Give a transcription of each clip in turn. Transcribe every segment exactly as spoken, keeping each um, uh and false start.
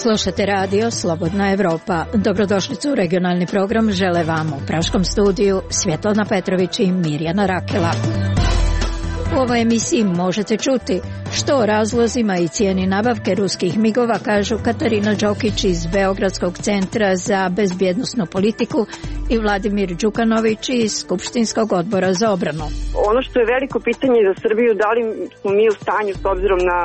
Slušate radio Slobodna Evropa. Dobrodošlicu u regionalni program žele vam u praškom studiju Svjetlana Petrović i Mirjana Rakela. U ovoj emisiji možete čuti što o razlozima i cijeni nabavke ruskih migova kažu Katarina Đokić iz Beogradskog centra za bezbjednosnu politiku i Vladimir Đukanović iz Skupštinskog odbora za obranu. Ono što je veliko pitanje za Srbiju, da li smo mi u stanju s obzirom na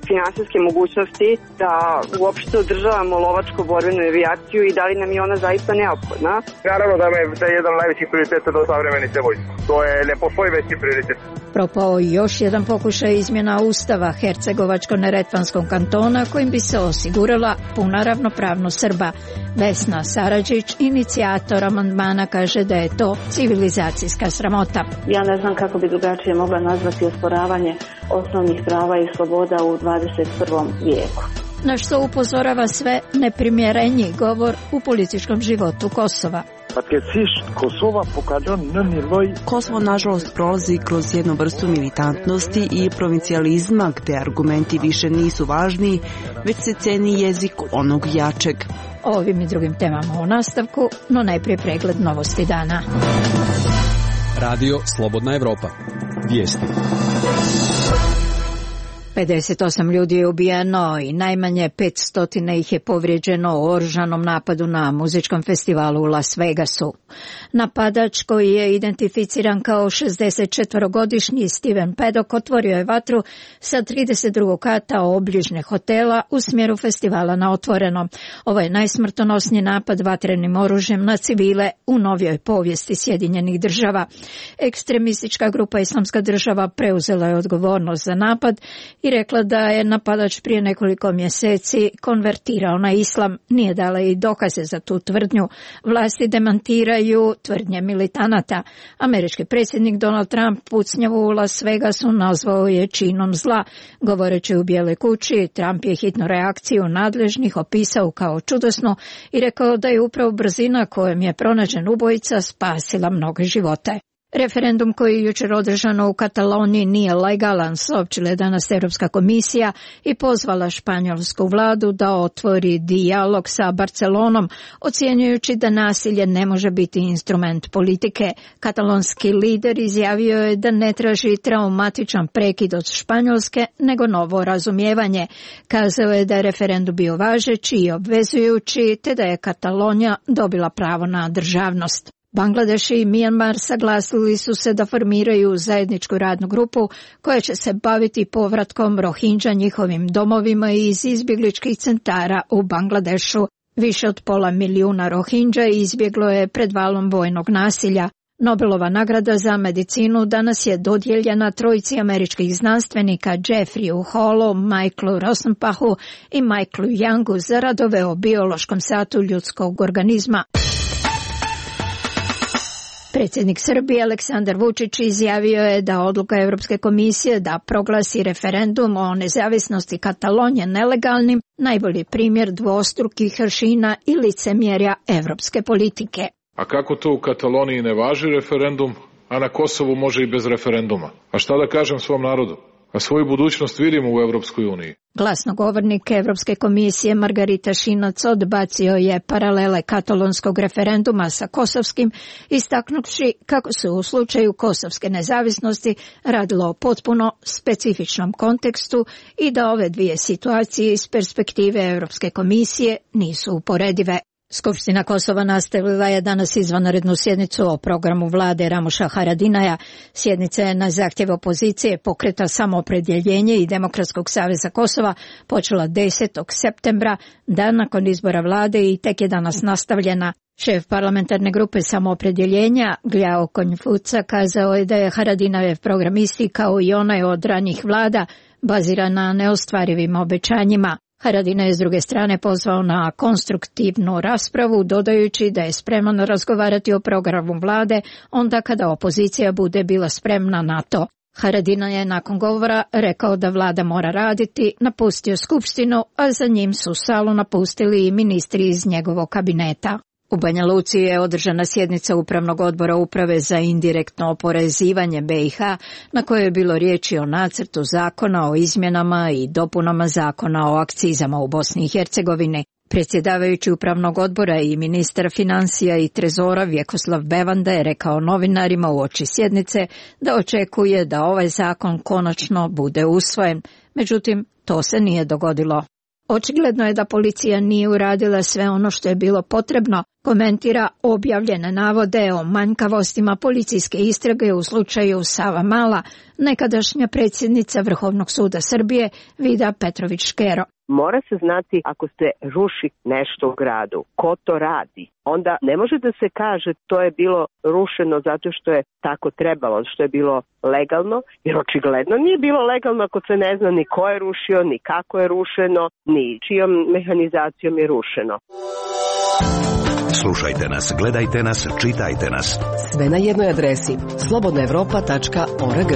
finansijske mogućnosti da uopšte održavamo lovačko borbenu avijaciju i da li nam je ona zaista neophodna? Naravno da je da je jedan od najvećih prioriteta do savremenice vojske. To je ne postoji veći prioritet. Propao još jedan pokušaj izmjena Ustava Hercegovačko-neretvanskog kantona kojim bi se osigurala puna ravnopravnost Srba. Vesna Saradžić, inicijator amandmana, kaže da je to civilizacijska sramota. Ja ne znam kako bi drugačije mogla nazvati osporavanje osnovnih prava i sloboda u dvadeset prvom vijeku. Na što upozorava sve neprimjereniji govor u političkom životu Kosova. Kosovo nažalost prolazi kroz jednu vrstu militantnosti i provincijalizma gdje argumenti više nisu važni, već se ceni jezik onog jačeg. O ovim i drugim temama u nastavku, no najprije pregled novosti dana. Radio Slobodna Evropa. Vijesti. pedeset osam ljudi je ubijeno i najmanje petsto ih je povrijeđeno u oružanom napadu na muzičkom festivalu u Las Vegasu. Napadač, koji je identificiran kao šezdesetčetvorogodišnji Steven Paddock, otvorio je vatru sa trideset drugog kata obližnjeg hotela u smjeru festivala na otvoreno. Ovo je najsmrtonosniji napad vatrenim oružjem na civile u novijoj povijesti Sjedinjenih država. Ekstremistička grupa Islamska država preuzela je odgovornost za napad i rekla da je napadač prije nekoliko mjeseci konvertirao na islam. Nije dala i dokaze za tu tvrdnju. Vlasti demantiraju tvrdnje militanata. Američki predsjednik Donald Trump pucnjavu u Las Vegasu nazvao je činom zla. Govoreći u Bijeloj kući, Trump je hitnu reakciju nadležnih opisao kao čudesnu i rekao da je upravo brzina kojom je pronađen ubojica spasila mnoge živote. Referendum koji je jučer održano u Kataloniji nije legalan, saopćila je danas Europska komisija i pozvala španjolsku vladu da otvori dijalog sa Barcelonom, ocjenjujući da nasilje ne može biti instrument politike. Katalonski lider izjavio je da ne traži traumatičan prekid od Španjolske, nego novo razumijevanje. Kazao je da je referendum bio važeći i obvezujući, te da je Katalonija dobila pravo na državnost. Bangladeš i Mijanmar saglasili su se da formiraju zajedničku radnu grupu koja će se baviti povratkom Rohingya njihovim domovima iz izbjegličkih centara u Bangladešu. Više od pola milijuna Rohingya izbjeglo je pred valom vojnog nasilja. Nobelova nagrada za medicinu danas je dodijeljena trojici američkih znanstvenika Jeffreyu Hallu, Michaelu Rosenpachu i Michaelu Youngu za radove o biološkom satu ljudskog organizma. Predsjednik Srbije Aleksandar Vučić izjavio je da odluka Europske komisije da proglasi referendum o nezavisnosti Katalonije nelegalnim najbolji primjer dvostrukih aršina i licemjerja europske politike. A kako to u Kataloniji ne važi referendum, a na Kosovu može i bez referenduma? A šta da kažem svom narodu? A svoju budućnost vidimo u Europskoj uniji. Glasnogovornik Europske komisije Margarita Šinac odbacio je paralele katalonskog referenduma sa kosovskim, istaknuvši kako se u slučaju kosovske nezavisnosti radilo o potpuno specifičnom kontekstu i da ove dvije situacije iz perspektive Europske komisije nisu uporedive. Skupština Kosova nastavila je danas izvanrednu sjednicu o programu vlade Ramuša Haradinaja. Sjednica je na zahtjev opozicije Pokreta Samoopredjeljenje i Demokratskog saveza Kosova počela desetog septembra, dan nakon izbora vlade, i tek je danas nastavljena. Šef parlamentarne grupe Samoopredjeljenja Gljao Konjfuca kazao je da je Haradinajev program isti kao i onaj od ranjih vlada, baziran na neostvarivim obećanjima. Haradinaj je s druge strane pozvao na konstruktivnu raspravu, dodajući da je spreman razgovarati o programu vlade onda kada opozicija bude bila spremna na to. Haradinaj je nakon govora rekao da vlada mora raditi, napustio skupštinu, a za njim su salu napustili i ministri iz njegovog kabineta. U Banja Luci je održana sjednica Upravnog odbora Uprave za indirektno oporezivanje B i H, na kojoj je bilo riječi o nacrtu zakona o izmjenama i dopunama zakona o akcizama u Bosni i Hercegovini. Predsjedavajući upravnog odbora i ministar financija i trezora Vjekoslav Bevanda je rekao novinarima uoči sjednice da očekuje da ovaj zakon konačno bude usvojen, međutim to se nije dogodilo. Očigledno je da policija nije uradila sve ono što je bilo potrebno, komentira objavljene navode o manjkavostima policijske istrage u slučaju Savamala, nekadašnja predsjednica Vrhovnog suda Srbije Vida Petrović-Škero. Mora se znati ako se ruši nešto u gradu, ko to radi. Onda ne može da se kaže to je bilo rušeno zato što je tako trebalo, što je bilo legalno, jer očigledno nije bilo legalno ako se ne zna ni ko je rušio, ni kako je rušeno, ni čijom mehanizacijom je rušeno. Slušajte nas, gledajte nas, čitajte nas. Sve na jednoj adresi slobodna evropa tačka org.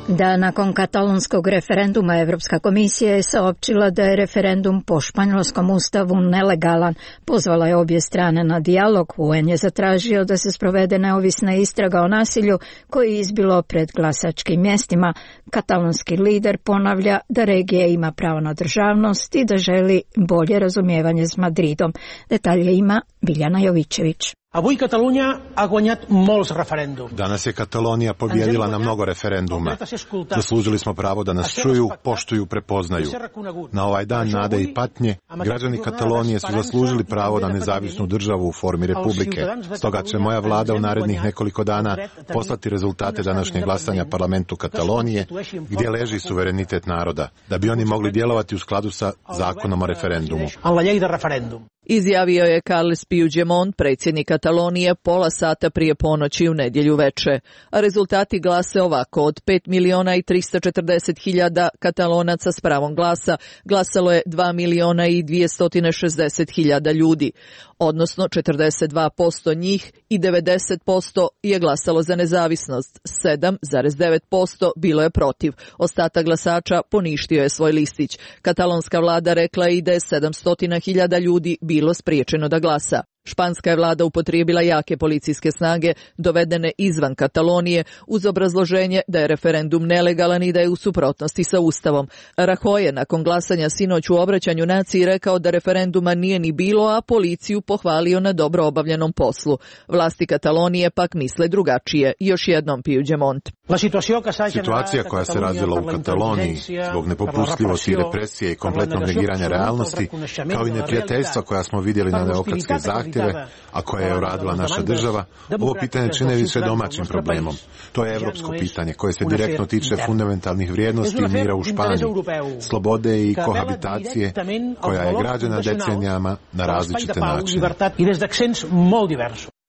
Da nakon katalonskog referenduma Evropska komisija je saopćila da je referendum po španjolskom ustavu nelegalan. Pozvala je obje strane na dijalog. U en je zatražio da se sprovede neovisna istraga o nasilju koje je izbilo pred glasačkim mjestima. Katalonski lider ponavlja da regija ima pravo na državnost i da želi bolje razumijevanje s Madridom. Detalje ima Biljana Jovićević. Avui Catalunya ha guanyat molts referèndums. Danas je Katalonija pobijedila na mnogo referenduma. Zaslužili smo pravo da nas čuju, poštuju, prepoznaju. Na ovaj dan nade i patnje, građani Katalonije su zaslužili pravo na nezavisnu državu u formi republike. Stoga će moja vlada u narednih nekoliko dana poslati rezultate današnjeg glasanja parlamentu Katalonije, gdje leži suverenitet naroda, da bi oni mogli djelovati u skladu sa zakonom o referendumu. Izjavio je Carles Puigdemont, predsjednik Katalonije, pola sata prije ponoći u nedjelju veče. A rezultati glase ovako: od pet miliona i tristo četrdeset hiljada Katalonaca s pravom glasa glasalo je dva miliona i dvjesto šezdeset hiljada ljudi, odnosno četrdeset dva posto njih i devedeset posto je glasalo za nezavisnost, sedam zarez devet posto bilo je protiv. Ostatak glasača poništio je svoj listić. Katalonska vlada rekla je i da je sedamsto hiljada ljudi bilo spriječeno da glasa. Španska je vlada upotrijebila jake policijske snage dovedene izvan Katalonije uz obrazloženje da je referendum nelegalan i da je u suprotnosti sa Ustavom. Rajoy je nakon glasanja sinoć u obraćanju naciji rekao da referenduma nije ni bilo, a policiju pohvalio na dobro obavljenom poslu. Vlasti Katalonije pak misle drugačije. Još jednom Puigdemont. Situacija koja se razvila u Kataloniji zbog nepopustljivosti i represije i kompletnog negiranja realnosti, kao i neprijateljstva koja smo vidjeli na demokratske zahtjeve, a koje je uradila naša država, ovo pitanje čine više domaćim problemom. To je evropsko pitanje koje se direktno tiče fundamentalnih vrijednosti i mira u Španiji, slobode i kohabitacije koja je građena decenijama na različite načine.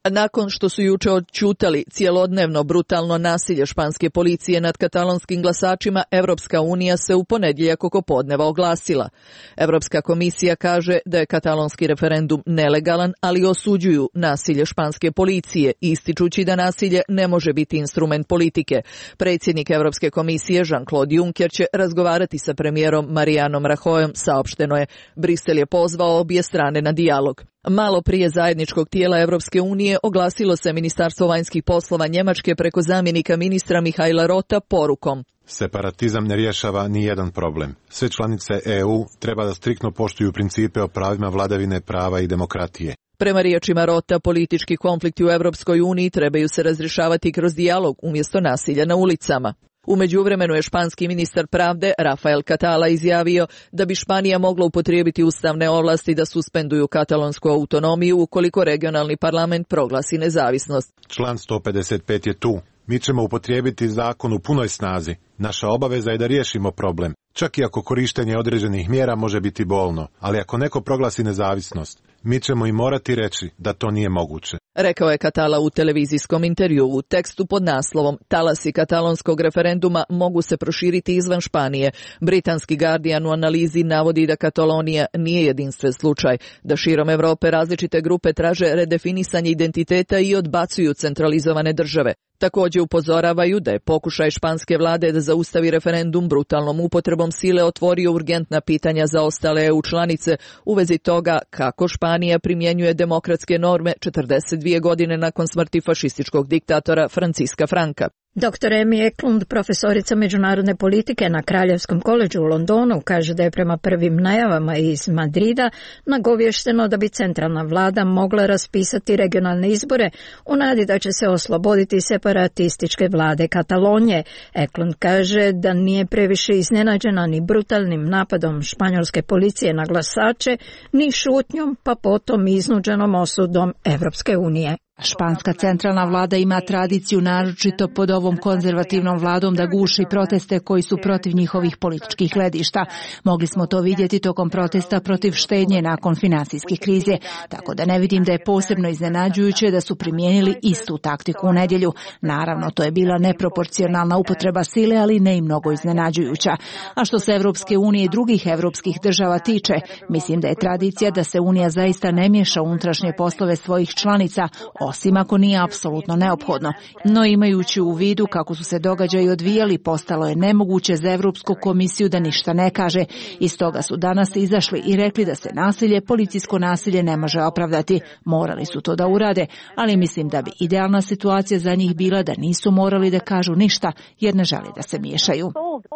Nakon što su juče odćutali cijelodnevno brutalno nasilje španske policije nad katalonskim glasačima, Evropska unija se u ponedjeljak oko podneva oglasila. Evropska komisija kaže da je katalonski referendum nelegalan, ali osuđuju nasilje španske policije, ističući da nasilje ne može biti instrument politike. Predsjednik Evropske komisije Jean-Claude Juncker će razgovarati sa premijerom Marijanom Rajoyom, saopšteno je. Brisel je pozvao obje strane na dijalog. Malo prije zajedničkog tijela Evropske unije oglasilo se Ministarstvo vanjskih poslova Njemačke preko zamjenika ministra Mihajla Rota porukom: separatizam ne rješava ni jedan problem. Sve članice E U treba da striktno poštuju principe o pravima vladavine prava i demokratije. Prema riječima Rota, politički konflikti u Evropskoj uniji trebaju se razrješavati kroz dijalog umjesto nasilja na ulicama. U međuvremenu je španski ministar pravde Rafael Catala izjavio da bi Španija mogla upotrijebiti ustavne ovlasti da suspenduju katalonsku autonomiju ukoliko regionalni parlament proglasi nezavisnost. Član sto pedeset pet je tu. Mi ćemo upotrijebiti zakon u punoj snazi. Naša obaveza je da riješimo problem. Čak i ako korištenje određenih mjera može biti bolno, ali ako neko proglasi nezavisnost, mi ćemo i morati reći da to nije moguće. Rekao je Catala u televizijskom intervjuu. U tekstu pod naslovom "Talasi katalonskog referenduma mogu se proširiti izvan Španije". Britanski Guardian u analizi navodi da Katalonija nije jedinstven slučaj, da širom Europe različite grupe traže redefinisanje identiteta i odbacuju centralizovane države. Također upozoravaju da je pokušaj španske vlade da zaustavi referendum brutalnom upotrebom sile otvorio urgentna pitanja za ostale E U članice u vezi toga kako Španija primjenjuje demokratske norme četrdeset dvije godine nakon smrti fašističkog diktatora Franciska Franka. doktor Amy Eklund, profesorica međunarodne politike na Kraljevskom koledžu u Londonu, kaže da je prema prvim najavama iz Madrida nagovješteno da bi centralna vlada mogla raspisati regionalne izbore u nadi da će se osloboditi separatističke vlade Katalonije. Eklund kaže da nije previše iznenađena ni brutalnim napadom španjolske policije na glasače, ni šutnjom, pa potom iznuđenom osudom Evropske unije. Španska centralna vlada ima tradiciju, naročito pod ovom konzervativnom vladom, da guši proteste koji su protiv njihovih političkih gledišta. Mogli smo to vidjeti tokom protesta protiv štednje nakon finansijske krize, tako da ne vidim da je posebno iznenađujuće da su primijenili istu taktiku u nedjelju. Naravno, to je bila neproporcionalna upotreba sile, ali ne i mnogo iznenađujuća. A što se Evropske unije i drugih evropskih država tiče, mislim da je tradicija da se Unija zaista ne miješa u unutrašnje poslove svojih članica, osim ako nije apsolutno neophodno. No imajući u vidu kako su se događaji odvijali, postalo je nemoguće za Europsku komisiju da ništa ne kaže. I stoga su danas izašli i rekli da se nasilje, policijsko nasilje ne može opravdati. Morali su to da urade, ali mislim da bi idealna situacija za njih bila da nisu morali da kažu ništa jer ne žele da se miješaju.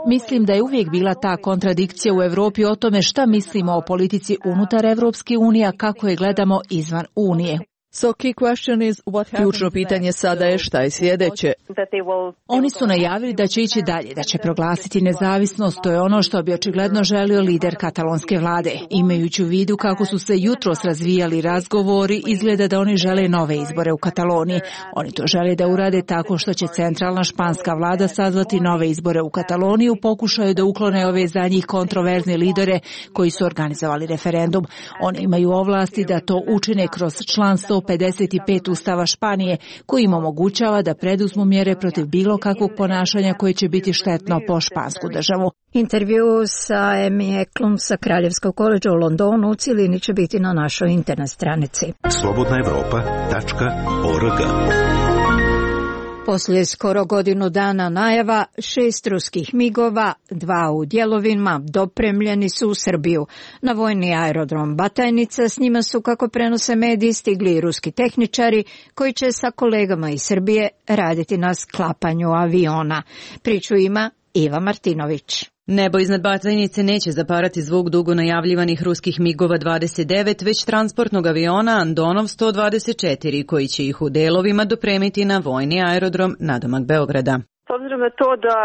Mislim da je uvijek bila ta kontradikcija u Europi o tome šta mislimo o politici unutar Evropske unije, a kako je gledamo izvan Unije. So key question is what Ključno pitanje sada je šta je sljedeće. Oni su najavili da će ići dalje, da će proglasiti nezavisnost, to je ono što bi očigledno želio lider katalonske vlade. Imajući u vidu kako su se jutros razvijali razgovori, izgleda da oni žele nove izbore u Kataloniji. Oni to žele da urade tako što će centralna španska vlada sazvati nove izbore u Kataloniji u pokušaju da uklone ove za njih kontroverzne lidere koji su organizovali referendum. Oni imaju ovlasti da to učine kroz član sto pedeset pet Ustava Španije, koji im omogućava da preduzmu mjere protiv bilo kakvog ponašanja koje će biti štetno po špansku državu. Intervju sa Amy Eklund sa Kraljevskog koledža u Londonu u cilini će biti na našoj internet stranici. slobodna evropa tačka org. Poslije skoro godinu dana najava, šest ruskih migova, dva u dijelovima, dopremljeni su u Srbiju. Na vojni aerodrom Batajnica s njima su, kako prenose mediji, stigli i ruski tehničari koji će sa kolegama iz Srbije raditi na sklapanju aviona. Priču ima Iva Martinović. Nebo iznad Batajnice neće zaparati zvuk dugo najavljivanih ruskih migova dvadeset devet, već transportnog aviona Andonov sto dvadeset četiri, koji će ih u delovima dopremiti na vojni aerodrom nadomak Beograda. S obzirom na to da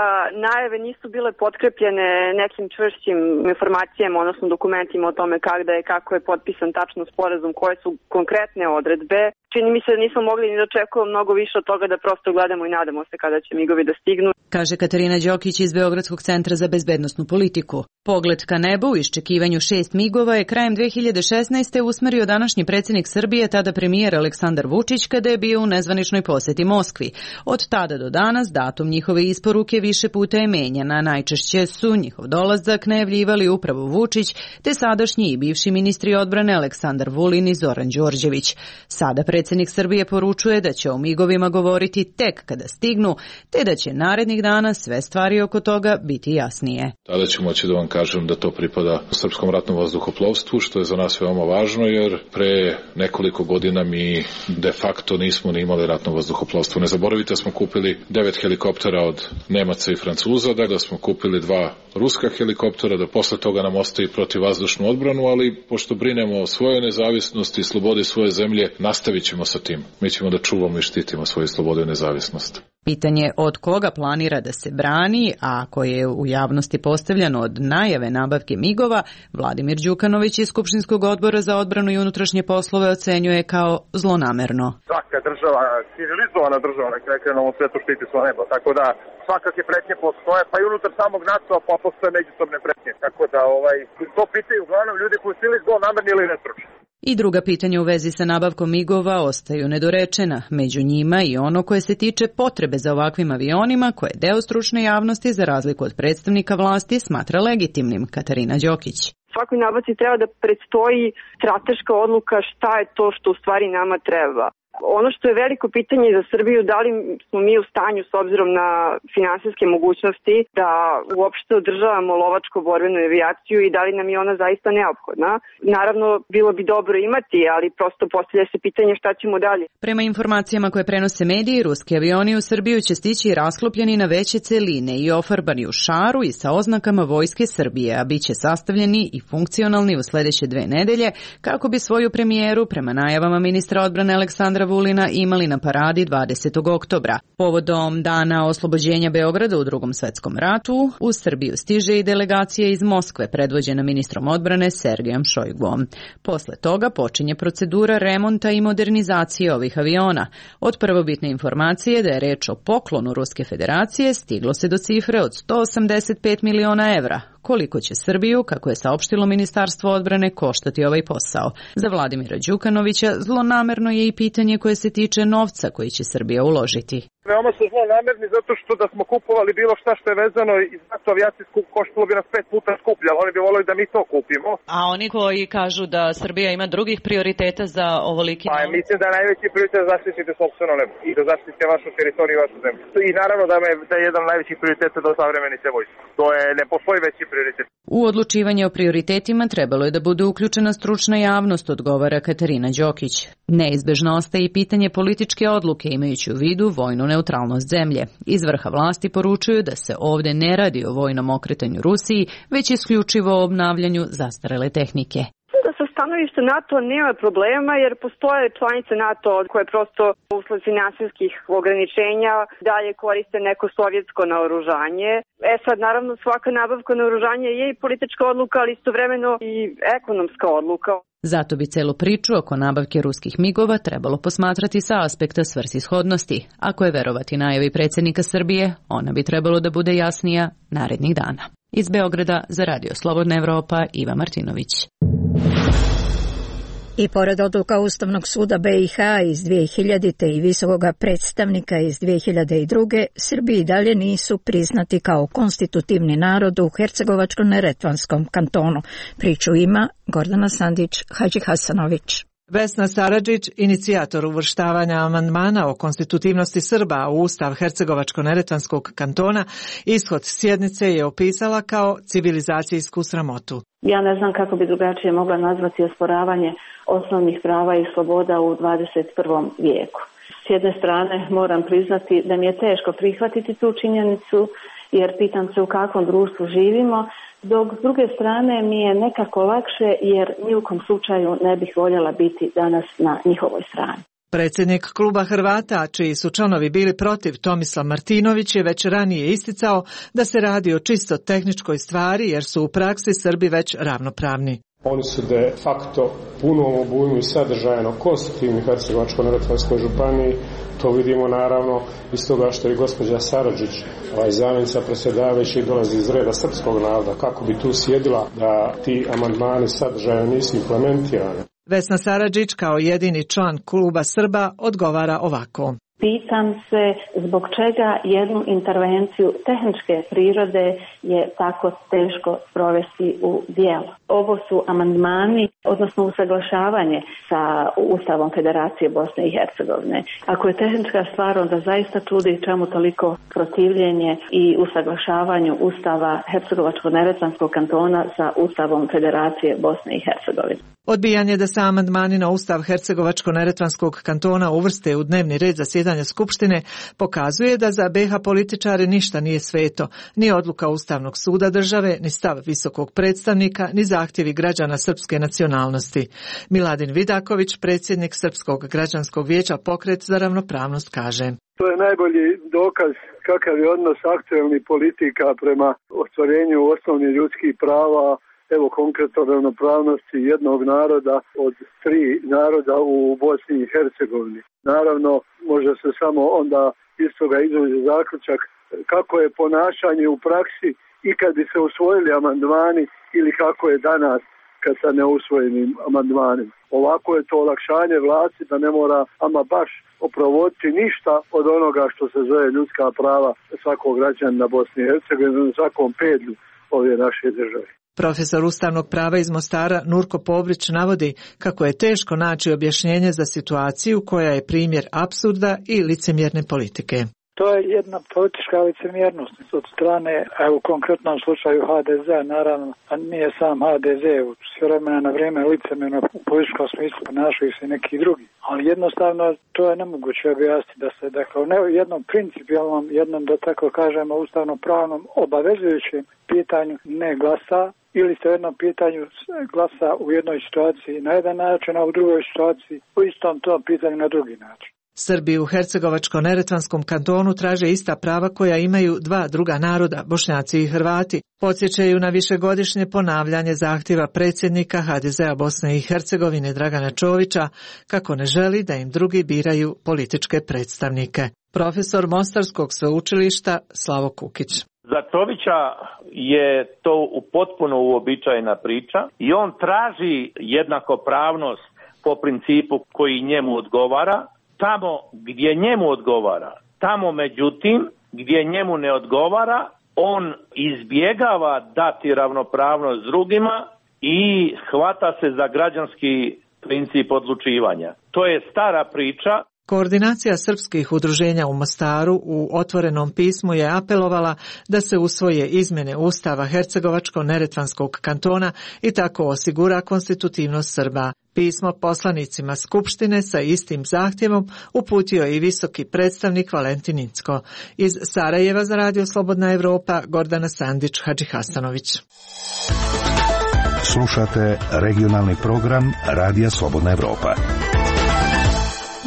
najave nisu bile potkrepljene nekim čvršćim informacijama, odnosno dokumentima o tome kada je, kako je potpisan tačno sporazum, koje su konkretne odredbe, čini mi se da nismo mogli ni da očekujemo mnogo više od toga da prosto gledamo i nadamo se kada će migovi da stignu. Kaže Katarina Đokić iz Beogradskog centra za bezbednosnu politiku. Pogled ka nebu u iščekivanju šest migova je krajem dve hiljade šesnaeste. usmerio današnji predsjednik Srbije, tada premijer Aleksandar Vučić, kada je bio u nezvaničnoj posjeti Moskvi. Od tada do danas datum njihove isporuke više puta je menjan, a najčešće su njihov dolazak najavljivali upravo Vučić, te sadašnji i bivši ministri odbrane Aleksandar Vulin i Zoran Đorđević. Sada predsjednik Srbije poručuje da će o migovima govoriti tek kada stignu, te da će narednih dana sve stvari oko toga biti jasnije. Tada ću moći da vam kažem da to pripada Srpskom ratnom vazduhoplovstvu, što je za nas veoma važno, jer pre nekoliko godina mi de facto nismo ni imali ratno vazduhoplovstvo. Ne zaboravite da smo kupili devet helikoptera od Nemaca i Francuza, da smo kupili dva ruska helikoptera, da posle toga nam ostaje protivvazdušnu odbranu, ali pošto brinemo o svojoj nezavisnosti i slobodi svoje zemlje, nastavit ćemo sa tim. Mi ćemo da čuvamo i štitimo svoju slobodu i nezavisnost. Pitanje od koga planira da se brani, a koje je u javnosti postavljeno od najave nabavke migova, Vladimir Đukanović iz Skupštinskog odbora za odbranu i unutrašnje poslove ocenjuje kao zlonamerno. Svaka država, civilizovana država na kraju na ovom svetu štiti svoje nebo, tako da svakakve pretnje postoje, pa i unutar samog NATO pa postoje međusobne pretnje, tako da ovaj, to pitaju uglavnom ljudi koji su ili zlonamerni ili nestručni. I druga pitanja u vezi sa nabavkom migova ostaju nedorečena, među njima i ono koje se tiče potrebe za ovakvim avionima, koje deo stručne javnosti, za razliku od predstavnika vlasti, smatra legitimnim. Katarina Đokić. Svakoj nabavci treba da predstoji strateška odluka šta je to što u stvari nama treba. Ono što je veliko pitanje za Srbiju, da li smo mi u stanju s obzirom na finansijske mogućnosti da uopšte održavamo lovačko-borbenu avijaciju i da li nam je ona zaista neophodna. Naravno, bilo bi dobro imati, ali prosto postavlja se pitanje šta ćemo dalje. Prema informacijama koje prenose mediji, ruski avioni u Srbiju će stići rasklopljeni na veće celine i ofarbani u šaru i sa oznakama Vojske Srbije, a bit će sastavljeni i funkcionalni u sledeće dve nedelje kako bi svoju premijeru, prema najavama ministra odbrane Aleksandra Vulina, imali na paradi dvadesetog oktobra. Povodom dana oslobođenja Beograda u Drugom svetskom ratu, u Srbiju stiže i delegacija iz Moskve predvođena ministrom odbrane Sergejom Šojguom. Posle toga počinje procedura remonta i modernizacije ovih aviona. Od prvobitne informacije da je reč o poklonu Ruske federacije stiglo se do cifre od sto osamdeset pet miliona evra. Koliko će Srbiju, kako je saopštilo Ministarstvo odbrane, koštati ovaj posao? Za Vladimira Đukanovića zlonamerno je i pitanje koje se tiče novca koji će Srbija uložiti. Veoma su zlonamerni zato što da smo kupovali bilo šta što je vezano iz NATO avijacijsku koštalo bi nas pet puta skuplje, ali oni bi volili da mi to kupimo. A oni koji kažu da Srbija ima drugih prioriteta za ovoliki novac? Pa mislim da je najveći prioritet da zaštitite sopstveno nebo i da zaštitite vašu teritoriju i vašu zemlju. I naravno da, me, da je jedan od najvećih prioriteta da osavremenite vojsku. To je, ne postoji veći prioritet. U odlučivanje o prioritetima trebalo je da bude uključena stručna javnost, odgovara Katarina Đokić. Neizbežno ostaje i pitanje političke odluke, imajući u vidu vojnu neutralnost zemlje. Iz vrha vlasti poručuju da se ovde ne radi o vojnom okretanju Rusiji, već isključivo o obnavljanju zastarele tehnike. Da sa stanovišta NATO nema problema jer postoje članice NATO koje prosto usled finansijskih ograničenja dalje koriste neko sovjetsko naoružanje. E sad, naravno, svaka nabavka naoružanja je i politička odluka, ali istovremeno i ekonomska odluka. Zato bi celu priču oko nabavke ruskih migova trebalo posmatrati sa aspekta svrsishodnosti. Ako je verovati najavi predsjednika Srbije, ona bi trebalo da bude jasnija narednih dana. Iz Beograda za Radio Slobodna Evropa, Iva Martinović. I pored odluka Ustavnog suda B i H iz dvije hiljadite. i visokog predstavnika iz dvije hiljade druge. Srbiji dalje nisu priznati kao konstitutivni narod u Hercegovačko-neretvanskom kantonu. Priču ima Gordana Sandić, Hadži Hasanović. Vesna Saradžić, inicijator uvrštavanja amandmana o konstitutivnosti Srba u Ustav Hercegovačko-neretvanskog kantona, ishod sjednice je opisala kao civilizacijsku sramotu. Ja ne znam kako bi drugačije mogla nazvati osporavanje osnovnih prava i sloboda u dvadeset prvom vijeku. S jedne strane moram priznati da mi je teško prihvatiti tu činjenicu, jer pitam se u kakvom društvu živimo, dok s druge strane mi je nekako lakše jer ni u kom slučaju ne bih voljela biti danas na njihovoj strani. Predsjednik kluba Hrvata, čiji su članovi bili protiv, Tomislav Martinović, je već ranije isticao da se radi o čisto tehničkoj stvari jer su u praksi Srbi već ravnopravni. Oni su de facto punom obujmu i sadržajno konstitutivni Hercegovačko-neretvanskoj županiji. To vidimo naravno iz toga što je gospođa Saradžić, ovaj zamjenica predsjedavajućeg, dolazi iz reda srpskog naroda. Kako bi tu sjedila da ti amandmani sadržajno nisu implementirani? Vesna Saradžić kao jedini član kluba Srba odgovara ovako. Pitam se zbog čega jednu intervenciju tehničke prirode je tako teško sprovesti u djelo. Ovo su amandmani, odnosno usaglašavanje sa Ustavom Federacije Bosne i Hercegovine. Ako je tehnička stvar, onda zaista čudi čemu toliko protivljenje i usaglašavanju Ustava Hercegovačko-neretvanskog kantona sa Ustavom Federacije Bosne i Hercegovine. Odbijanje da se amandmani na Ustav Hercegovačko-neretvanskog kantona uvrste u dnevni red zasjedanja Skupštine pokazuje da za B H političare ništa nije sveto, ni odluka Ustavnog suda države, ni stav visokog predstavnika, ni zahtjevi građana srpske nacionalnosti. Miladin Vidaković, predsjednik Srpskog građanskog vijeća Pokret za ravnopravnost, kaže. To je najbolji dokaz kakav je odnos aktuelnih politika prema ostvarenju osnovnih ljudskih prava. Evo konkretno ravnopravnosti jednog naroda od tri naroda u Bosni i Hercegovini. Naravno, može se samo onda iz toga izvući zaključak kako je ponašanje u praksi i kad bi se usvojili amandmani ili kako je danas kad sa neusvojenim amandmanima. Ovako je to olakšanje vlasti da ne mora ama baš oprovoditi ništa od onoga što se zove ljudska prava svakog građanina Bosne i Hercegovine na svakom pedlju ove naše države. Profesor ustavnog prava iz Mostara Nurko Povrić navodi kako je teško naći objašnjenje za situaciju koja je primjer apsurda i licemjerne politike. To je jedna politička licemjernost od strane, evo u konkretnom slučaju H D Z-a, naravno, a nije sam H D Z, s vremena na vrijeme licemjerno u političkom smislu ponašaju se neki drugi. Ali jednostavno to je nemoguće objasniti da se, dakle, u jednom principijalnom, jednom, da tako kažemo, ustavno-pravnom obavezujućem pitanju ne glasa, ili se u jednom pitanju glasa u jednoj situaciji na jedan način, a u drugoj situaciji u istom tom pitanju na drugi način. Srbi u Hercegovačko-neretvanskom kantonu traže ista prava koja imaju dva druga naroda, Bošnjaci i Hrvati. Podsjećaju na višegodišnje ponavljanje zahtjeva predsjednika H D Z-a Bosne i Hercegovine Dragana Čovića kako ne želi da im drugi biraju političke predstavnike. Profesor Mostarskog sveučilišta Slavo Kukić. Za Čovića je to u potpuno uobičajena priča i on traži jednakopravnost po principu koji njemu odgovara, tamo gdje njemu odgovara. Tamo međutim gdje njemu ne odgovara, on izbjegava dati ravnopravnost drugima i hvata se za građanski princip odlučivanja. To je stara priča. Koordinacija srpskih udruženja u Mostaru u otvorenom pismu je apelovala da se usvoje izmjene Ustava Hercegovačko-neretvanskog kantona i tako osigura konstitutivnost Srba. Pismo poslanicima Skupštine sa istim zahtjevom uputio je i visoki predstavnik Valentin Incko. Iz Sarajeva za Radio Slobodna Evropa, Gordana Sandić Hadžihasanović. Slušate regionalni program Radija Slobodna Evropa.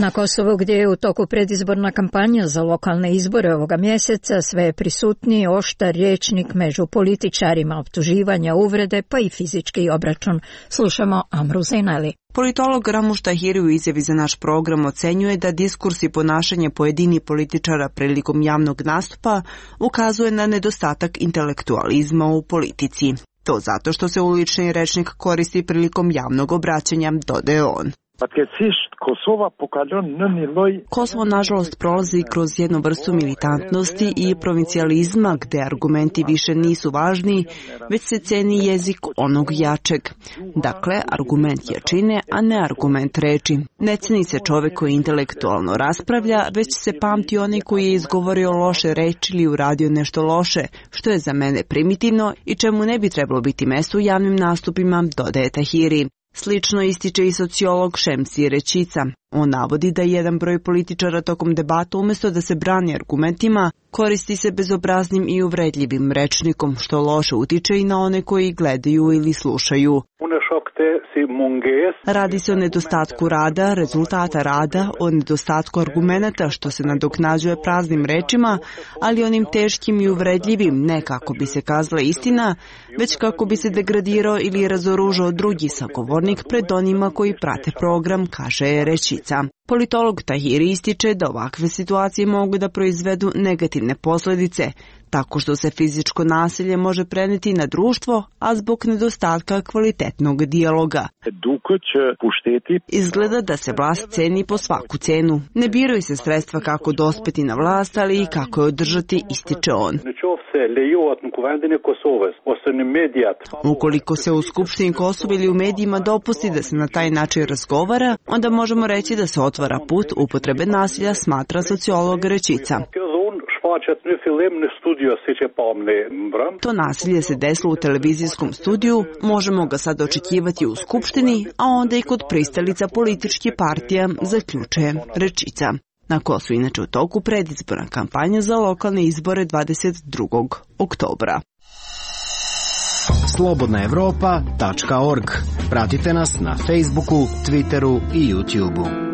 Na Kosovu, gdje je u toku predizborna kampanja za lokalne izbore ovoga mjeseca, sve je prisutniji oštar rječnik među političarima, optuživanja, uvrede pa i fizički obračun. Slušamo Amru Zainali. Politolog Ramuš Tahiri u izjavi za naš program ocenjuje da diskurs i ponašanje pojedini političara prilikom javnog nastupa ukazuje na nedostatak intelektualizma u politici. To zato što se ulični rečnik koristi prilikom javnog obraćanja, dodaje on. Kosovo nažalost prolazi kroz jednu vrstu militantnosti i provincijalizma gdje argumenti više nisu važni, već se ceni jezik onog jačeg. Dakle, argument jačine, a ne argument reči. Ne ceni se čovjek koji intelektualno raspravlja, već se pamti onaj koji je izgovorio loše reči ili uradio nešto loše, što je za mene primitivno i čemu ne bi trebalo biti mjesto u javnim nastupima, dodaje Tahiri. Slično ističe i sociolog Šemsi Rečica. On navodi da jedan broj političara tokom debata umjesto da se brani argumentima, koristi se bezobraznim i uvredljivim rečnikom, što loše utiče i na one koji gledaju ili slušaju. Radi se o nedostatku rada, rezultata rada, o nedostatku argumenata što se nadoknađuje praznim rečima, ali onim teškim i uvredljivim ne kako bi se kazala istina, već kako bi se degradirao ili razoružao drugi sagovornik pred onima koji prate program, kaže Rečica. Politolog Tahiri ističe da ovakve situacije mogu da proizvedu negativne posljedice, tako što se fizičko nasilje može prenijeti na društvo, a zbog nedostatka kvalitetnog dijaloga. Izgleda da se vlast ceni po svaku cenu. Ne biraju se sredstva kako dospeti na vlast, ali i kako je održati, ističe on. Ukoliko se u Skupštini Kosova ili u medijima dopusti da se na taj način razgovara, onda možemo reći da se otvara put upotrebe nasilja, smatra sociolog Rečica. To nasilje se desilo u televizijskom studiju, možemo ga sad očekivati u Skupštini, a onda i kod pristalica političkih partija, zaključuje Rečica. Na Kosovu inače u toku predizborna kampanja za lokalne izbore dvadeset drugog oktobra. slobodna evropa tačka org. Pratite nas na Facebooku, Twitteru i YouTubeu.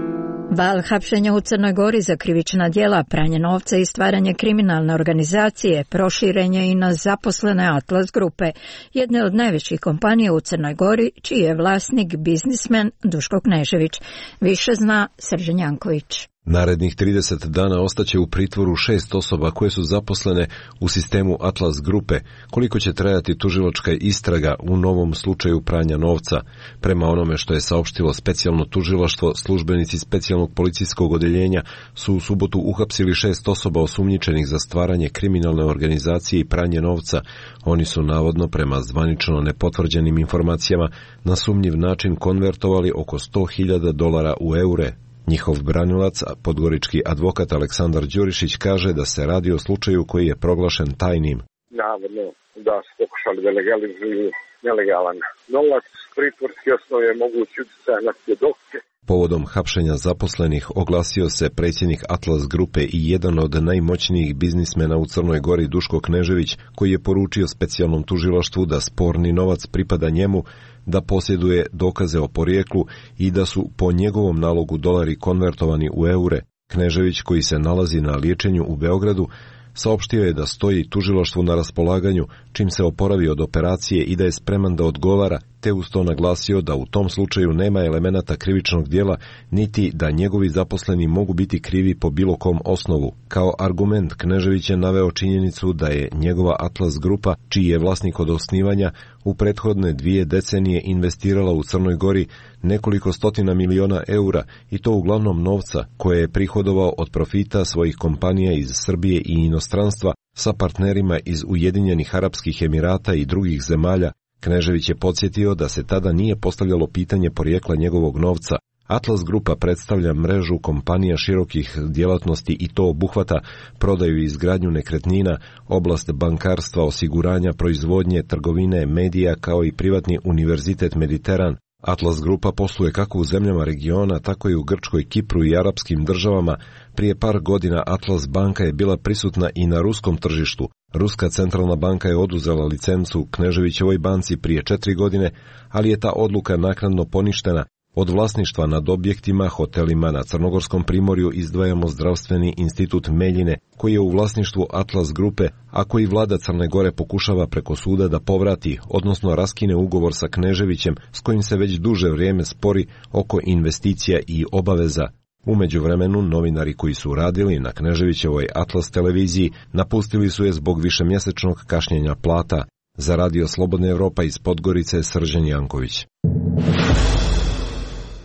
Val hapšenja u Crnoj Gori za krivična djela, pranje novca i stvaranje kriminalne organizacije proširen je i na zaposlene Atlas grupe, jedne od najvećih kompanija u Crnoj Gori, čiji je vlasnik biznismen Duško Knežević. Više zna Srđan Janković. Narednih trideset dana ostaće u pritvoru šest osoba koje su zaposlene u sistemu Atlas grupe, koliko će trajati tužilačka istraga u novom slučaju pranja novca. Prema onome što je saopštilo specijalno tužilaštvo, službenici specijalnog policijskog odeljenja su u subotu uhapsili šest osoba osumnjičenih za stvaranje kriminalne organizacije i pranje novca. Oni su navodno, prema zvanično nepotvrđenim informacijama, na sumnjiv način konvertovali oko sto hiljada dolara u eure. Njihov branilac, podgorički advokat Aleksandar Đurišić, kaže da se radi o slučaju koji je proglašen tajnim. Navodno da su pokušali da legalizuju nelegalan novac, pritvorski osnov je mogući utjecaj na svjedoke. Povodom hapšenja zaposlenih oglasio se predsjednik Atlas grupe i jedan od najmoćnijih biznismena u Crnoj Gori, Duško Knežević, koji je poručio specijalnom tužilaštvu da sporni novac pripada njemu, da posjeduje dokaze o porijeklu i da su po njegovom nalogu dolari konvertovani u eure. Knežević, koji se nalazi na liječenju u Beogradu, saopštio je da stoji tužilaštvu na raspolaganju čim se oporavi od operacije i da je spreman da odgovara, te uz to naglasio da u tom slučaju nema elemenata krivičnog djela, niti da njegovi zaposleni mogu biti krivi po bilo kom osnovu. Kao argument Knežević je naveo činjenicu da je njegova Atlas grupa, čiji je vlasnik od osnivanja, u prethodne dvije decenije investirala u Crnoj Gori nekoliko stotina miliona eura, i to uglavnom novca koje je prihodovao od profita svojih kompanija iz Srbije i inostranstva sa partnerima iz Ujedinjenih Arapskih Emirata i drugih zemalja. Knežević je podsjetio da se tada nije postavljalo pitanje porijekla njegovog novca. Atlas grupa predstavlja mrežu kompanija širokih djelatnosti i to obuhvata prodaju i izgradnju nekretnina, oblast bankarstva, osiguranja, proizvodnje, trgovine, medija, kao i privatni univerzitet Mediteran. Atlas grupa posluje kako u zemljama regiona, tako i u Grčkoj, Kipru i arapskim državama. Prije par godina Atlas banka je bila prisutna i na ruskom tržištu. Ruska centralna banka je oduzela licencu Kneževićevoj banci prije četiri godine, ali je ta odluka naknadno poništena. Od vlasništva nad objektima, hotelima na Crnogorskom primorju izdvajamo zdravstveni institut Meljine, koji je u vlasništvu Atlas grupe, a koji vlada Crne Gore pokušava preko suda da povrati, odnosno raskine ugovor sa Kneževićem, s kojim se već duže vrijeme spori oko investicija i obaveza. U međuvremenu, novinari koji su radili na Kneževićevoj Atlas televiziji napustili su je zbog višemjesečnog kašnjenja plata. Za Radio Slobodna Evropa iz Podgorice, Srđan Janković.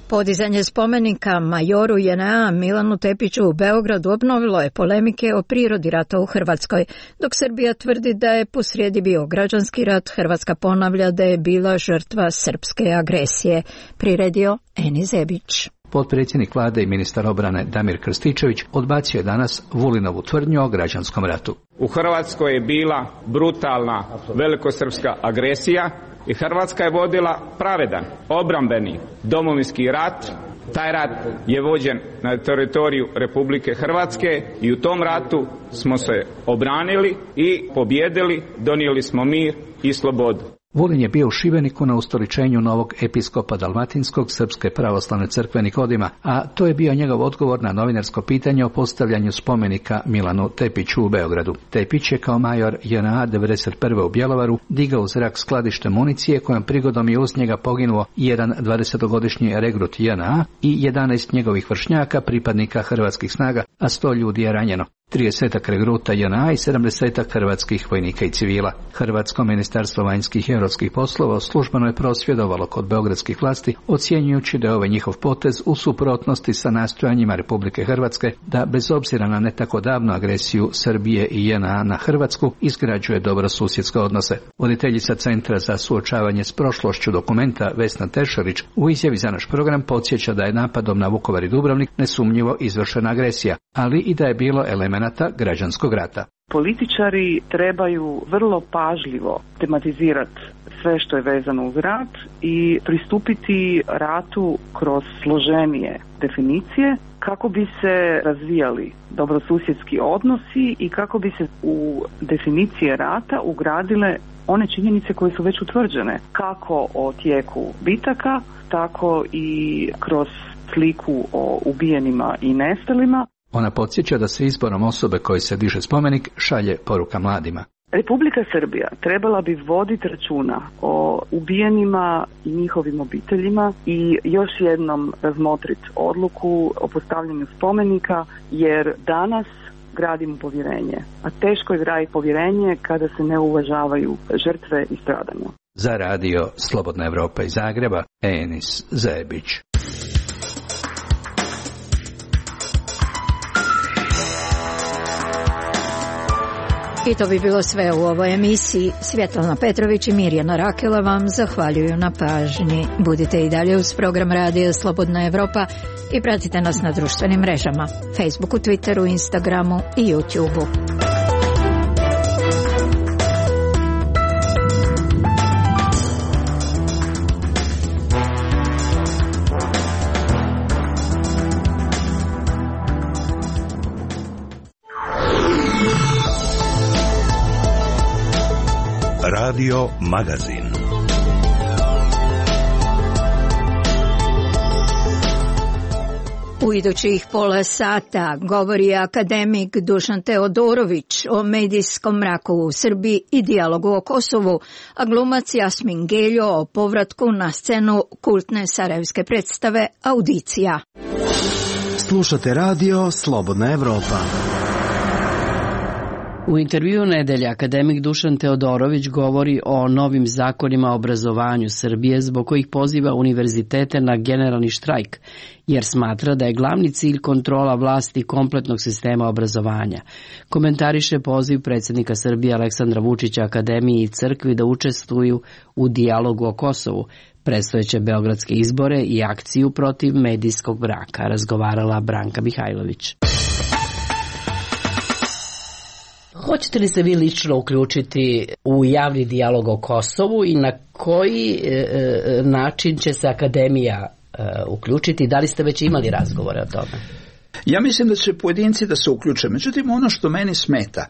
Podizanje spomenika majoru J N A Milanu Tepiću u Beogradu obnovilo je polemike o prirodi rata u Hrvatskoj. Dok Srbija tvrdi da je posrijedi bio građanski rat, Hrvatska ponavlja da je bila žrtva srpske agresije. Priredio Eni Zebić. Potpredsjednik vlade i ministar obrane Damir Krstičević odbacio je danas Vulinovu tvrdnju o građanskom ratu. U Hrvatskoj je bila brutalna velikosrpska agresija i Hrvatska je vodila pravedan, obrambeni domovinski rat. Taj rat je vođen na teritoriju Republike Hrvatske i u tom ratu smo se obranili i pobjedili, donijeli smo mir i slobodu. Vulin je bio u Šibeniku na ustoličenju novog episkopa Dalmatinskog Srpske pravoslavne crkve Nikodima, a to je bio njegov odgovor na novinarsko pitanje o postavljanju spomenika Milanu Tepiću u Beogradu. Tepić je kao major J N A devedeset prve u Bjelovaru digao u zrak skladište municije kojom prigodom je uz njega poginuo jedan dvadesetogodišnji regrut J N A i jedanaest njegovih vršnjaka, pripadnika hrvatskih snaga, a sto ljudi je ranjeno. tridesetak regruta J N A i sedamdesetak hrvatskih vojnika i civila. Hrvatsko ministarstvo vanjskih i europskih poslova službeno je prosvjedovalo kod beogradskih vlasti, ocjenjujući da je ovaj njihov potez u suprotnosti sa nastojanjima Republike Hrvatske da, bez obzira na ne tako davnu agresiju Srbije i J N A na Hrvatsku, izgrađuje dobrosusjedske odnose. Voditeljica Centra za suočavanje s prošlošću Dokumenta Vesna Tešarić u izjavi za naš program podsjeća da je napadom na Vukovar i Dubrovnik nesumnjivo izvršena agresija, ali i da je bilo elemenata građanskog rata. Političari trebaju vrlo pažljivo tematizirati sve što je vezano uz rat i pristupiti ratu kroz složenije definicije kako bi se razvijali dobrosusjedski odnosi i kako bi se u definicije rata ugradile one činjenice koje su već utvrđene, kako o tijeku bitaka, tako i kroz sliku o ubijenima i nestalima. Ona podsjeća da se izborom osobe koji se diže spomenik šalje poruka mladima. Republika Srbija trebala bi voditi računa o ubijenima i njihovim obiteljima i još jednom razmotriti odluku o postavljanju spomenika, jer danas gradimo povjerenje, a teško je graditi povjerenje kada se ne uvažavaju žrtve i stradanja. Za radio Slobodna Evropa iz Zagreba, Enis Zebić. I to bi bilo sve u ovoj emisiji. Svjetlana Petrović i Mirjana Rakela vam zahvaljuju na pažnji. Budite i dalje uz program radija Slobodna Evropa i pratite nas na društvenim mrežama, Facebooku, Twitteru, Instagramu i YouTubeu. Radio Magazin. U idućih pola sata govori akademik Dušan Teodorović o medijskom mraku u Srbiji i dijalogu o Kosovu, a glumac Jasmin Geljo o povratku na scenu kultne sarajevske predstave Audicija. Slušate radio Slobodna Evropa. U intervju nedelje akademik Dušan Teodorović govori o novim zakonima o obrazovanju Srbije zbog kojih poziva univerzitete na generalni štrajk, jer smatra da je glavni cilj kontrola vlasti kompletnog sistema obrazovanja. Komentariše poziv predsjednika Srbije Aleksandra Vučića Akademiji i crkvi da učestvuju u dijalogu o Kosovu, predstojeće beogradske izbore i akciju protiv medijskog mraka, razgovarala Branka Mihajlović. Hoćete li se vi lično uključiti u javni dijalog o Kosovu i na koji e, način će se akademija e, uključiti? Da li ste već imali razgovore o tome? Ja mislim da će pojedinci da se uključe. Međutim, ono što meni smeta,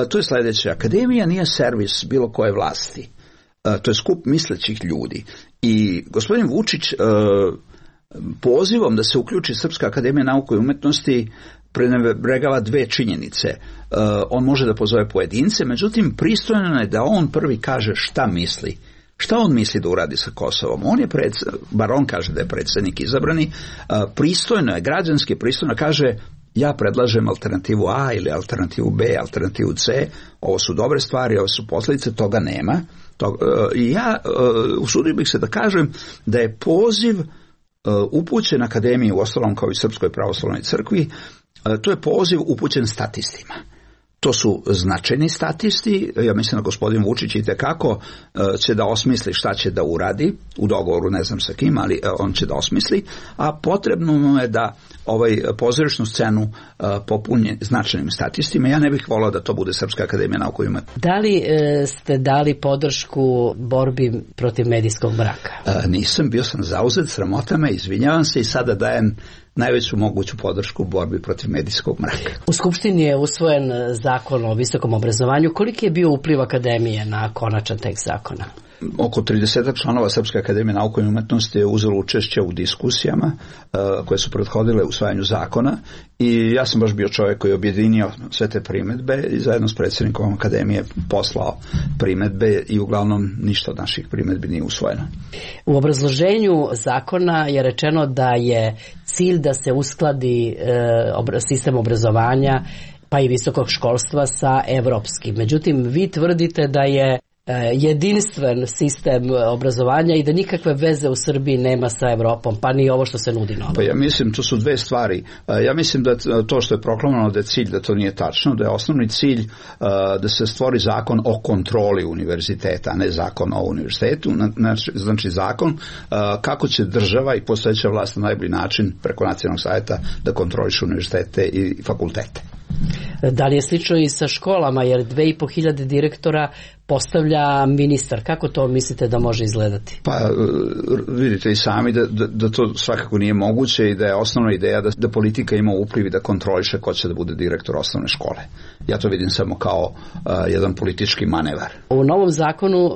to je sljedeće. Akademija nije servis bilo koje vlasti. To je skup mislećih ljudi. I gospodin Vučić pozivom da se uključi Srpska akademija nauke i umetnosti prenebregava dve činjenice. On može da pozove pojedince, međutim, pristojno je da on prvi kaže šta misli. Šta on misli da uradi sa Kosovom? On je, pred, bar on kaže da je predsjednik izabrani, pristojno je, građanski pristojno kaže ja predlažem alternativu A ili alternativu B, alternativu C, ovo su dobre stvari, ovo su posljedice, toga nema. I ja usudio bih se da kažem da je poziv upućen akademiji, u ostalom kao i Srpskoj pravoslavnoj crkvi, to je poziv upućen statistima. To su značajni statisti, ja mislim da gospodin Vučić itekako će da osmisli šta će da uradi, u dogovoru ne znam sa kim, ali on će da osmisli, a potrebno mu je da ovaj pozorišnu scenu popunje značajnim statistima. Ja ne bih volao da to bude Srpska akademija nauke i umetnosti. Da li e, ste dali podršku borbi protiv medijskog mraka? E, nisam, bio sam zauzet, sramotama, izvinjavam se i sada dajem najveću moguću podršku u borbi protiv medijskog mraka. U Skupštini je usvojen zakon o visokom obrazovanju. Koliki je bio upliv akademije na konačan tekst zakona? Oko trideset članova Srpske akademije nauke i umetnosti je uzelo učešće u diskusijama uh, koje su prethodile usvajanju zakona i ja sam baš bio čovjek koji je objedinio sve te primjedbe i zajedno s predsjednikom akademije poslao primjedbe i uglavnom ništa od naših primjedbi nije usvojeno. U obrazloženju zakona je rečeno da je cilj da se uskladi uh, sistem obrazovanja pa i visokog školstva sa evropskim. Međutim, vi tvrdite da je jedinstven sistem obrazovanja i da nikakve veze u Srbiji nema sa Evropom, pa ni ovo što se nudi novo. Pa ja mislim, to su dve stvari. Ja mislim da to što je proklamovano da je cilj, da to nije tačno, da je osnovni cilj da se stvori zakon o kontroli univerziteta, a ne zakon o univerzitetu, znači zakon kako će država i postojeća vlast na najbolji način preko nacionalnog savjeta da kontroliše univerzitete i fakultete. Da li je slično i sa školama, jer dve i po hiljade direktora postavlja ministar. Kako to mislite da može izgledati? Pa vidite i sami da, da, da to svakako nije moguće i da je osnovna ideja da, da politika ima upliv i da kontroliše ko će da bude direktor osnovne škole. Ja to vidim samo kao uh, jedan politički manevar. U novom zakonu uh,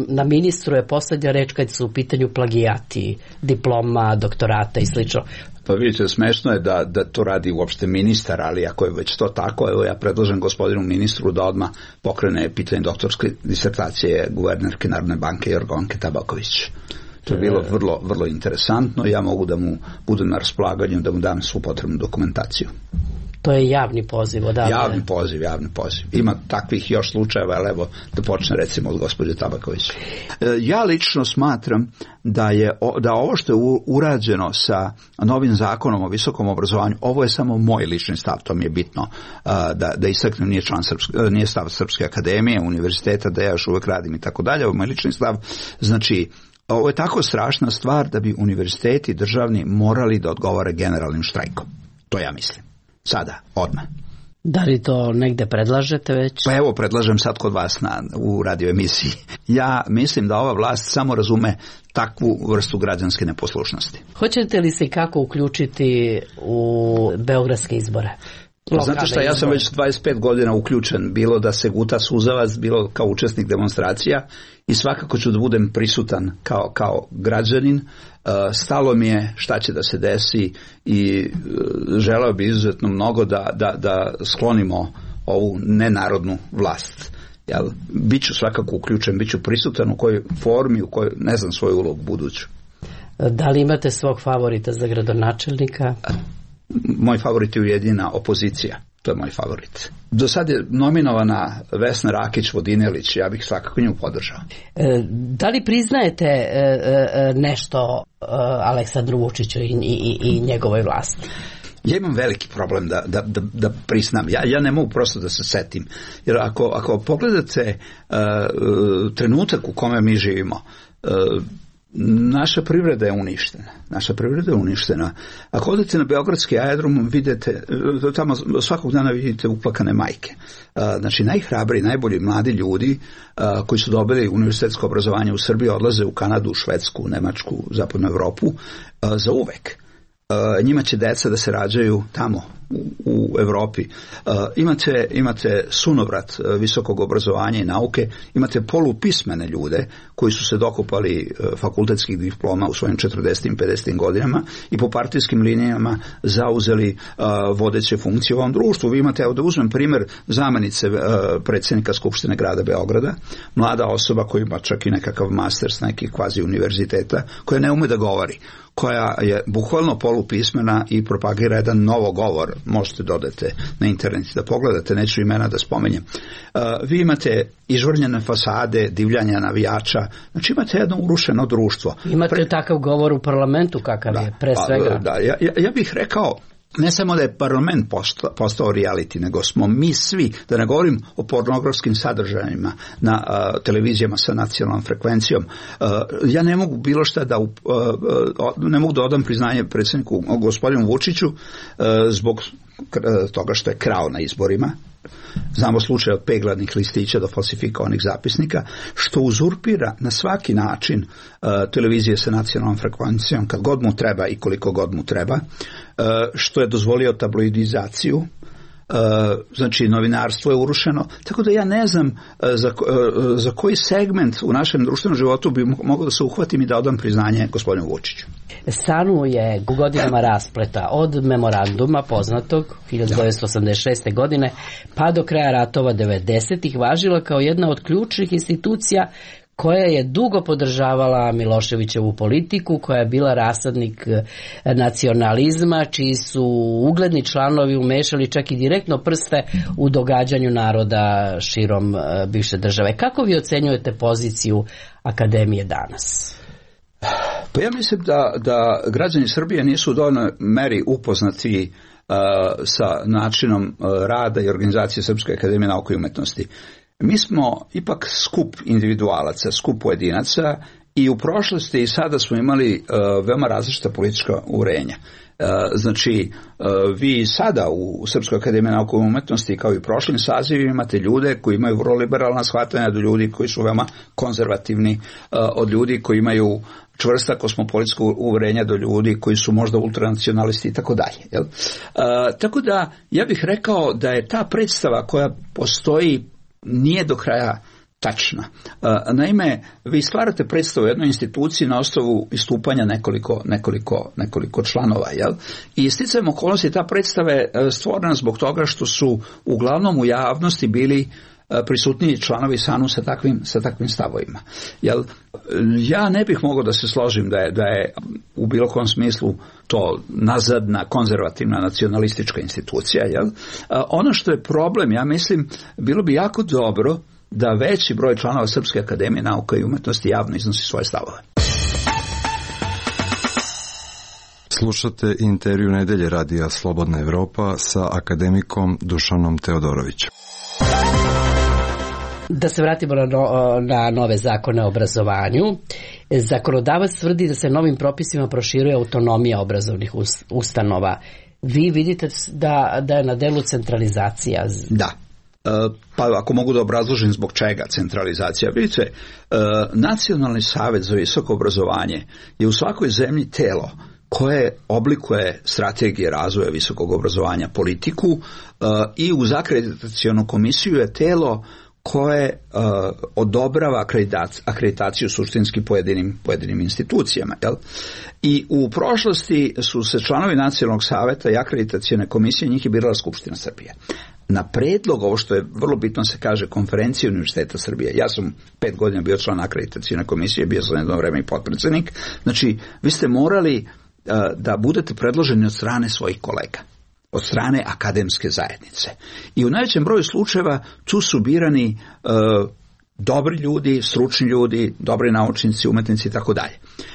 na ministru je poslednja reč kad su u pitanju plagijati, diploma, doktorata i slično. Pa vidite, smešno je da, da to radi uopšte ministar, ali ako je već to tako, evo ja predlažem gospodinu ministru da odmah pokrene pitanje doktorske disertacije guvernerke Narodne banke Jorgovanke Tabaković. To je bilo vrlo, vrlo interesantno i ja mogu da mu budem na raspolaganju, da mu dam svu potrebnu dokumentaciju. To je javni poziv odavde. Javni poziv, javni poziv. Ima takvih još slučajeva, ali evo da počne recimo od gospođe Tabaković. Ja lično smatram da je da ovo što je urađeno sa novim zakonom o visokom obrazovanju, ovo je samo moj lični stav, to mi je bitno da, da istaknem, nije, član Srpske, nije stav Srpske akademije, univerziteta, da ja još uvek radim i tako dalje, ovo je moj lični stav. Znači, ovo je tako strašna stvar da bi univerziteti državni morali da odgovore generalnim štrajkom. To ja mislim. Sada, odmah. Da li to negde predlažete već? Pa evo, predlažem sad kod vas na, u radio emisiji. Ja mislim da ova vlast samo razume takvu vrstu građanske neposlušnosti. Hoćete li se kako uključiti u beogradske izbore? Znate šta, ja sam već dvadeset pet godina uključen, bilo da se guta suzavac, bilo kao učesnik demonstracija i svakako ću da budem prisutan kao, kao građanin. Stalo mi je šta će da se desi i želeo bi izuzetno mnogo da, da, da sklonimo ovu nenarodnu vlast. Jel, biću svakako uključen, biću prisutan u kojoj formi, u kojoj ne znam svoju ulogu buduću. Da li imate svog favorita za gradonačelnika? Moj favorit je Ujedinjena opozicija. To je moj favorit. Do sad je nominovana Vesna Rakić-Vodinelić, ja bih svakako nju podržao. E, da li priznajete e, e, nešto e, Aleksandru Vučiću i, i, i njegovoj vlasti? Ja imam veliki problem da, da, da, da priznam. Ja, ja ne mogu prosto da se setim. Jer ako, ako pogledate uh, trenutak u kome mi živimo, uh, naša privreda je uništena. Naša privreda je uništena. Ako odete na beogradski aerodrom, vidite, tamo svakog dana vidite uplakane majke. Znači, najhrabriji, najbolji mladi ljudi koji su dobili univerzitetsko obrazovanje u Srbiji odlaze u Kanadu, Švedsku, Nemačku, Zapadnu Evropu za uvek. Njima će deca da se rađaju tamo u, u Evropi. Uh, imate, imate sunovrat visokog obrazovanja i nauke, imate polupismene ljude koji su se dokopali uh, fakultetskih diploma u svojim četrdesetim i pedesetim godinama i po partijskim linijama zauzeli uh, vodeće funkcije u ovom društvu. Vi imate, evo da uzmem primjer zamenice uh, predsjednika Skupštine grada Beograda, mlada osoba koja ima čak i nekakav master s nekih kvazi univerziteta, koja ne ume da govori, koja je bukvalno polupismena i propagira jedan novogovor. Možete dodati na internet da pogledate, neću imena da spomenjem. Uh, vi imate izvrnjene fasade, divljanja navijača, znači imate jedno urušeno društvo. Imate Pre... takav govor u parlamentu kakav da, je, pre svega. Pa, da, ja, ja, ja bih rekao, ne samo da je parlament postao, postao reality, nego smo mi svi, da ne govorim o pornografskim sadržajima na uh, televizijama sa nacionalnom frekvencijom. Uh, ja ne mogu bilo šta da, uh, uh, ne mogu da odam priznanje predsjedniku gospodinu Vučiću uh, zbog toga što je krao na izborima. Znamo slučaj od pegladnih listića do falsifikovanih zapisnika, što uzurpira na svaki način uh, televizije sa nacionalnom frekvencijom kad god mu treba i koliko god mu treba, uh, što je dozvolio tabloidizaciju. Uh, znači novinarstvo je urušeno, tako da ja ne znam uh, za, uh, za koji segment u našem društvenom životu bi mogao da se uhvatim i da odam priznanje gospodinu Vučiću. Stanuje u godinama raspleta od memoranduma poznatog hiljadu devetsto osamdeset šeste. godine pa do kraja ratova devedesetih važila kao jedna od ključnih institucija koja je dugo podržavala Miloševićevu politiku, koja je bila rasadnik nacionalizma, čiji su ugledni članovi umešali čak i direktno prste u događanju naroda širom bivše države. Kako vi ocenjujete poziciju Akademije danas? Pa ja mislim da, da građani Srbije nisu u dovoljnoj meri upoznati uh, sa načinom uh, rada i organizacije Srpske akademije nauke i umetnosti. Mi smo ipak skup individualaca, skup pojedinaca i u prošlosti i sada smo imali uh, veoma različita politička uverenja. Uh, znači, uh, vi sada u Srpskoj akademiji nauke i umetnosti kao i u prošlim sazivima imate ljude koji imaju vrlo liberalna shvatanja do ljudi koji su veoma konzervativni, uh, od ljudi koji imaju čvrsta kosmopolitska uverenja do ljudi koji su možda ultranacionalisti i tako dalje. Tako da ja bih rekao da je ta predstava koja postoji nije do kraja tačna. Naime, vi stvarate predstavu u jednoj instituciji na osnovu istupanja nekoliko, nekoliko, nekoliko članova, jel? I sticajem okolnosti ta predstava je stvorena zbog toga što su uglavnom u javnosti bili prisutniji članovi SANU sa takvim, sa takvim stavovima. Jel, ja ne bih mogao da se složim da je, da je u bilo kom smislu to nazadna, konzervativna, nacionalistička institucija. Jel? Ono što je problem, ja mislim, bilo bi jako dobro da veći broj članova Srpske akademije nauka i umetnosti javno iznosi svoje stavove. Slušate intervju Nedelje radija Slobodna Evropa sa akademikom Dušanom Teodorovićem. Da se vratimo na, no, na nove zakone o obrazovanju. Zakonodavac tvrdi da se novim propisima proširuje autonomija obrazovnih ustanova. Vi vidite da, da je na delu centralizacija? Da. Pa ako mogu da obrazložim zbog čega centralizacija. Vidite, Nacionalni savet za visoko obrazovanje je u svakoj zemlji telo koje oblikuje strategije razvoja visokog obrazovanja, politiku, i uz akreditacionu komisiju je telo koje uh, odobrava akreditaciju, akreditaciju suštinski pojedinim, pojedinim institucijama. Jel? I u prošlosti su se članovi Nacionalnog saveta i akreditacione komisije, njih je birala Skupština Srbije. Na predlog, ovo što je vrlo bitno se kaže, Konferencije Univerziteta Srbije. Ja sam pet godina bio član akreditacione komisije, bio sam jedno vreme i potpredsednik. Znači, vi ste morali uh, da budete predloženi od strane svojih kolega, od strane akademske zajednice. I u najvećem broju slučajeva tu su birani e, dobri ljudi, stručni ljudi, dobri naučnici, umetnici i tako dalje.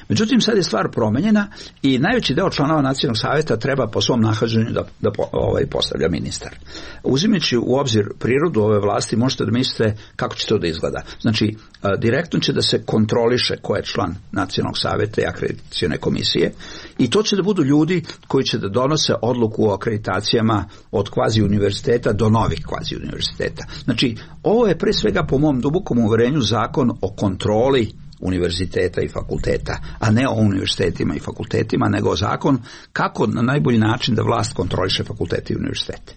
Međutim, sad je stvar promenjena i najveći deo članova Nacionalnog saveta treba po svom nahođenju da, da ovaj, postavlja ministar. Uzimajući u obzir prirodu ove vlasti, možete da mislite kako će to da izgleda. Znači, direktno će da se kontroliše ko je član Nacionalnog saveta i akreditacione komisije i to će da budu ljudi koji će da donose odluku o akreditacijama od kvazi univerziteta do novih kvazi univerziteta. Znači, ovo je pre svega po mom dubokom uverenju zakon o kontroli univerziteta i fakulteta, a ne o univerzitetima i fakultetima, nego zakon kako na najbolji način da vlast kontroliše fakultete i univerzitete.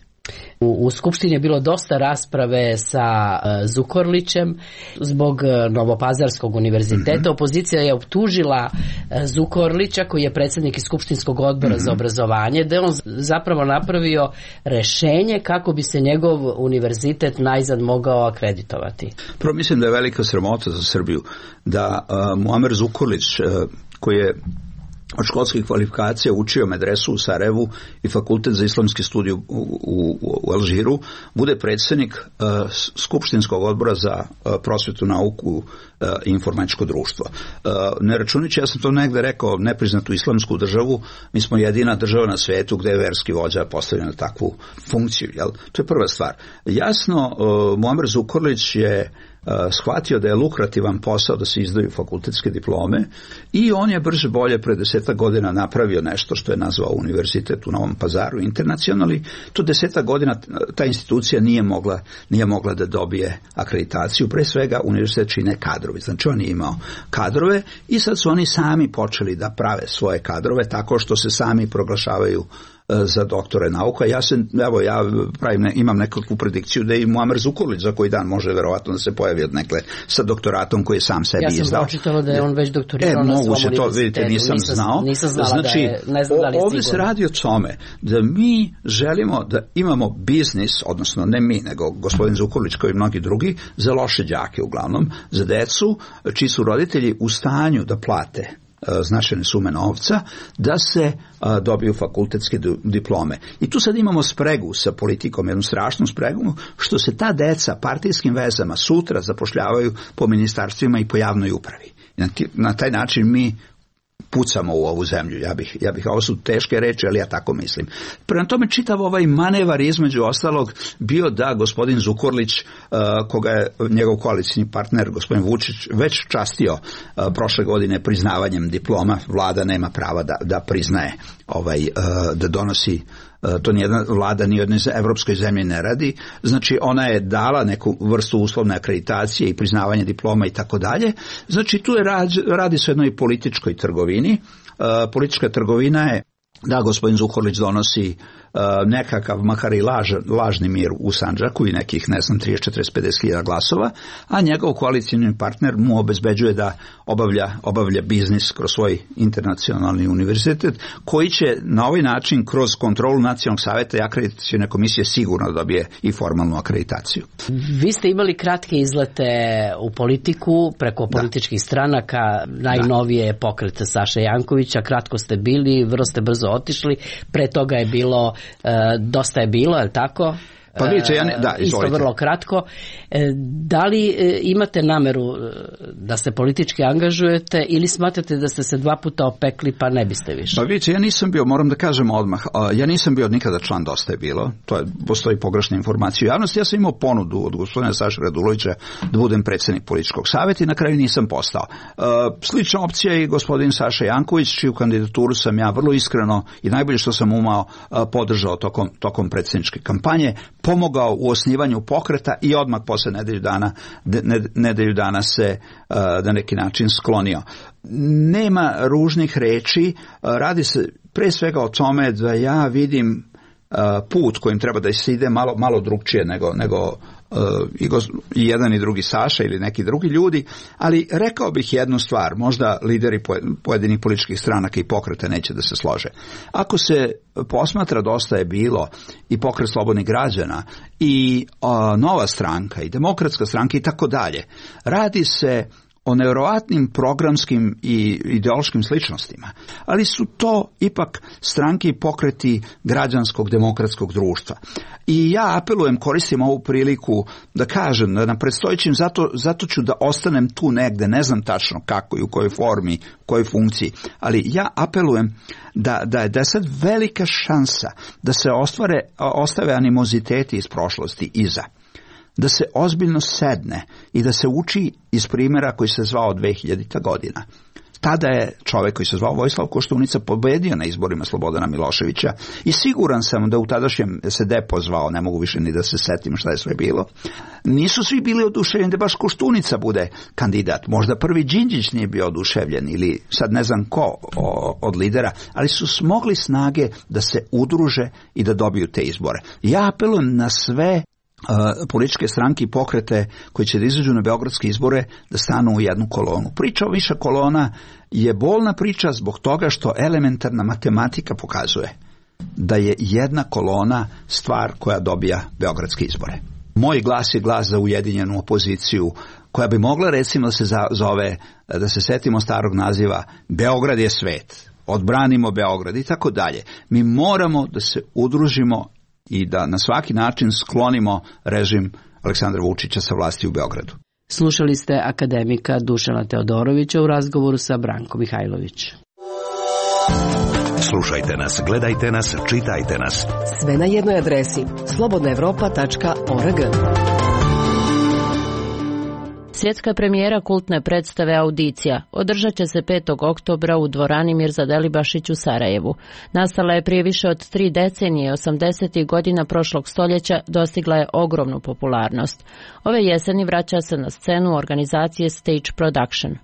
U, u Skupštini je bilo dosta rasprave sa uh, Zukorlićem zbog uh, Novopazarskog univerziteta. Mm-hmm. Opozicija je optužila uh, Zukorlića, koji je predsjednik Skupštinskog odbora mm-hmm. za obrazovanje, da je on zapravo napravio rešenje kako bi se njegov univerzitet najzad mogao akreditovati. Prvo mislim da je velika sramota za Srbiju da uh, Muamer Zukorlić, uh, koji je od školskih kvalifikacija učio medresu u Sarajevu i fakultet za islamski studij u, u, u Alžiru, bude predsjednik uh, Skupštinskog odbora za uh, prosvetu, nauku uh, i informatičko društvo. Uh, ne računajući, ja sam to negde rekao, nepriznatu islamsku državu, mi smo jedina država na svetu gde je verski vođa postavljen na takvu funkciju. Jel? To je prva stvar. Jasno, uh, Muamer Zukorlić je shvatio da je lukrativan posao da se izdaju fakultetske diplome i on je brže bolje pre desetak godina napravio nešto što je nazvao univerzitet u Novom Pazaru internacionalni. To desetak godina ta institucija nije mogla, nije mogla da dobije akreditaciju. Pre svega univerzitet čine kadrovi. Znači on je imao kadrove i sad su oni sami počeli da prave svoje kadrove tako što se sami proglašavaju za doktore nauka. Ja se, evo, ja pravim, ne, imam nekakvu predikciju da i Muamer Zukorlić za koji dan može verovatno da se pojavi od nekle sa doktoratom koji je sam sebi izdao. Ja sam izdao. Pročitala da je on već doktorirao e, na svom univerzitetu. To, vidite, nisam, nisam znao. Nisam znala znači, da je, ne znam da li je ovdje se radi o tome da mi želimo da imamo biznis, odnosno ne mi, nego gospodin Zukorlić kao i mnogi drugi, za loše đake uglavnom, za decu čiji su roditelji u stanju da plate značajne sume novca, da se a, dobiju fakultetske diplome. I tu sad imamo spregu sa politikom, jednu strašnu spregu, što se ta deca partijskim vezama sutra zapošljavaju po ministarstvima i po javnoj upravi. Na, na taj način mi pucamo u ovu zemlju. Ja bih, ja bih, ovo su teške reči, ali ja tako mislim. Prema tome čitav ovaj manevar između ostalog bio da gospodin Zukorlić, uh, koga je njegov koalicijni partner, gospodin Vučić, već častio uh, prošle godine priznavanjem diploma. Vlada nema prava da, da priznaje, ovaj, uh, da donosi. To nijedna vlada ni jednoj evropskoj zemlji ne radi. Znači ona je dala neku vrstu uslovne akreditacije i priznavanje diploma i tako dalje. Znači tu je radi, radi se o jednoj političkoj trgovini. Uh, politička trgovina je da gospodin Zukorlić donosi nekakav, makar i laž, lažni mir u Sandžaku i nekih, ne znam, trideset, četrdeset, pedeset hiljada glasova, a njegov koalicijni partner mu obezbeđuje da obavlja, obavlja biznis kroz svoj internacionalni univerzitet, koji će na ovaj način kroz kontrolu Nacionalnog saveta i akreditacione komisije sigurno dobije i formalnu akreditaciju. Vi ste imali kratke izlete u politiku preko političkih da. stranaka, najnovije da. pokret Saše Jankovića, kratko ste bili, vrlo ste brzo otišli, pre toga je bilo, e, dosta je bilo, je li tako? Pa vidite, ja ne, da, isto vrlo kratko. Da li imate nameru da se politički angažujete ili smatrate da ste se dva puta opekli pa ne biste više? Pa vidite, ja nisam bio, moram da kažem odmah, ja nisam bio nikada član Dosta je bilo, to je, postoji pogrešna informacija u javnosti, ja sam imao ponudu od gospodina Saše Radulovića da budem predsjednik političkog savjeta i na kraju nisam postao. Slična opcija je i gospodin Saša Janković, čiju kandidaturu sam ja vrlo iskreno i najbolje što sam umao podržao tokom, tokom predsjedničke kampanje, pomogao u osnivanju pokreta i odmah posle nedelju dana, nedelju dana se na neki način sklonio. Nema ružnih reči, radi se pre svega o tome da ja vidim put kojim treba da se ide malo, malo drugčije nego, nego i, gos, i jedan i drugi Saša ili neki drugi ljudi, ali rekao bih jednu stvar, možda lideri pojedinih političkih stranaka i pokreta neće da se slože. Ako se posmatra Dosta je bilo i Pokret slobodnih građana i a, Nova stranka i Demokratska stranka i tako dalje, radi se o nevjerovatnim programskim i ideološkim sličnostima, ali su to ipak stranke i pokreti građanskog demokratskog društva. I ja apelujem, koristim ovu priliku da kažem da na predstojećim, zato, zato ću da ostanem tu negde, ne znam tačno kako i u kojoj formi, u kojoj funkciji, ali ja apelujem da, da, je, da je sad velika šansa da se ostvare, ostave animoziteti iz prošlosti iza. Da se ozbiljno sedne i da se uči iz primjera koji se zvao dve hiljadita godina. Tada je čovjek koji se zvao Vojislav Koštunica pobedio na izborima Slobodana Miloševića i siguran sam da u tadašnjem se depo zvao, ne mogu više ni da se setim šta je sve bilo. Nisu svi bili oduševljeni da baš Koštunica bude kandidat. Možda prvi Đinđić nije bio oduševljen ili sad ne znam ko o, od lidera, ali su smogli snage da se udruže i da dobiju te izbore. Ja apelujem na sve Uh, političke stranke i pokrete koji će da izađu na beogradske izbore da stanu u jednu kolonu. Priča o više kolona je bolna priča zbog toga što elementarna matematika pokazuje da je jedna kolona stvar koja dobija beogradske izbore. Moj glas je glas za ujedinjenu opoziciju koja bi mogla recimo da se zove, da se setimo starog naziva Beograd je svet, odbranimo Beograd i tako dalje. Mi moramo da se udružimo i da na svaki način sklonimo režim Aleksandra Vučića sa vlasti u Beogradu. Slušali ste akademika Dušana Teodorovića u razgovoru sa Brankom Mihajlović. Slušajte nas, gledajte nas, čitajte nas. Sve na jednoj adresi slobodna evropa tačka org. Svjetska premijera kultne predstave Audicija održat će se petog oktobra u dvorani Mirza Delibašić u Sarajevu. Nastala je prije više od tri decenije, osamdesetih godina prošlog stoljeća, dostigla je ogromnu popularnost. Ove jeseni vraća se na scenu organizacije Stage Production.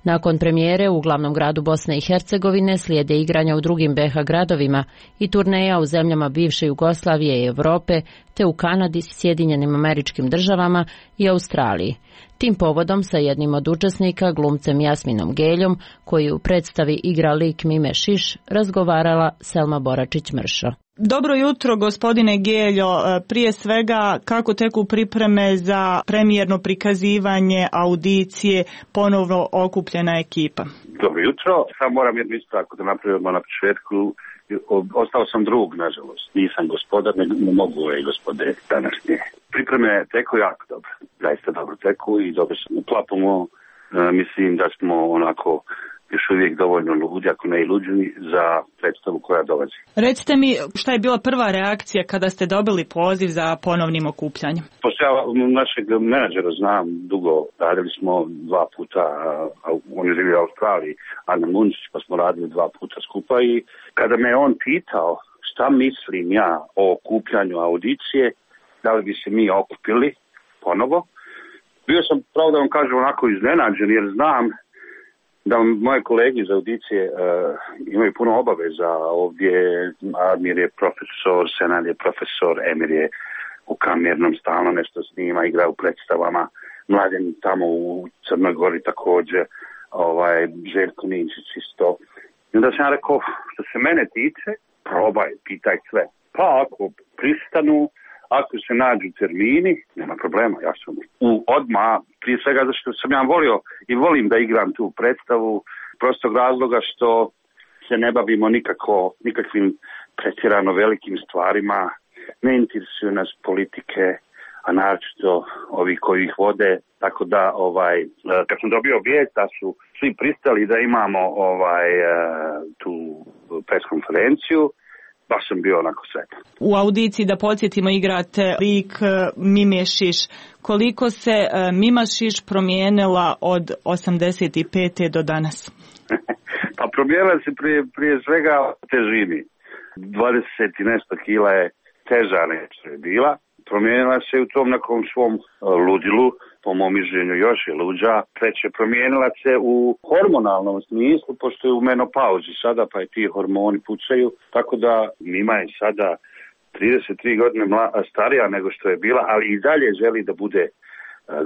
Nakon premijere u glavnom gradu Bosne i Hercegovine slijede igranja u drugim be ha gradovima i turneja u zemljama bivše Jugoslavije i Europe, te u Kanadi, Sjedinjenim Američkim Državama i Australiji. Tim povodom sa jednim od učesnika, glumcem Jasminom Geljom, koji u predstavi igra lik Mime Šiš, razgovarala Selma Boračić-Mršo. Dobro jutro, gospodine Geljo. Prije svega, kako teku pripreme za premijerno prikazivanje Audicije, ponovno okupljena ekipa? Dobro jutro. Sad moram jednu ispravku da napravim odmah na početku. Ostao sam drug, nažalost. Nisam gospodar, ne mogu ove gospode današnje. Pripreme teku jako dobro. Zaista dobro teku i dobro se uklapamo. E, mislim da smo onako još uvijek dovoljno ludi, ako ne i luđi, za predstavu koja dolazi. Recite mi, šta je bila prva reakcija kada ste dobili poziv za ponovnim okupljanjem? Pošto ja našeg menadžera znam dugo, radili smo dva puta, a on je živio u Australiji, Ana Munčić, pa smo radili dva puta skupa i kada me on pitao šta mislim ja o okupljanju Audicije, da li bi se mi okupili ponovo, bio sam, pravo da vam kažem, onako iznenađen, jer znam da moje kolege iz audicije uh, imaju puno obaveza ovdje. Admir je profesor, Senad je profesor, Emir je u kamernom stalno nešto snima, igra u predstavama, Mladen tamo u Crnoj Gori također, ovaj, Željko Ninčić isto. I onda sam ja rekao, što se mene tiče, probaj, pitaj sve. Pa ako pristanu, ako se nađu termini, nema problema, ja sam u odmah, prije svega zašto sam ja volio i volim da igram tu predstavu, prostog razloga što se ne bavimo nikako, nikakvim pretjerano velikim stvarima, ne interesuju nas politike, a naročito ovi koji ih vode, tako da ovaj, kad sam dobio vijest da su svi pristali da imamo ovaj, tu pres konferenciju, baš sam bio onako sretan. U audiciji, da podsjetimo, igrate lik Mimješiš. Koliko se Mimašiš promijenila od osamdeset pete do danas? Pa promijenila se prije, prije svega težini. dvadeset i nešto kila je teža nego što je bila. Promijenila se u tom nekom svom ludilu, po mom mišljenju još je luđa. Treće, promijenila se u hormonalnom smislu, pošto je u menopauzi sada, pa i ti hormoni pucaju. Tako da Mima je sada trideset tri godine mla, starija nego što je bila, ali i dalje želi da bude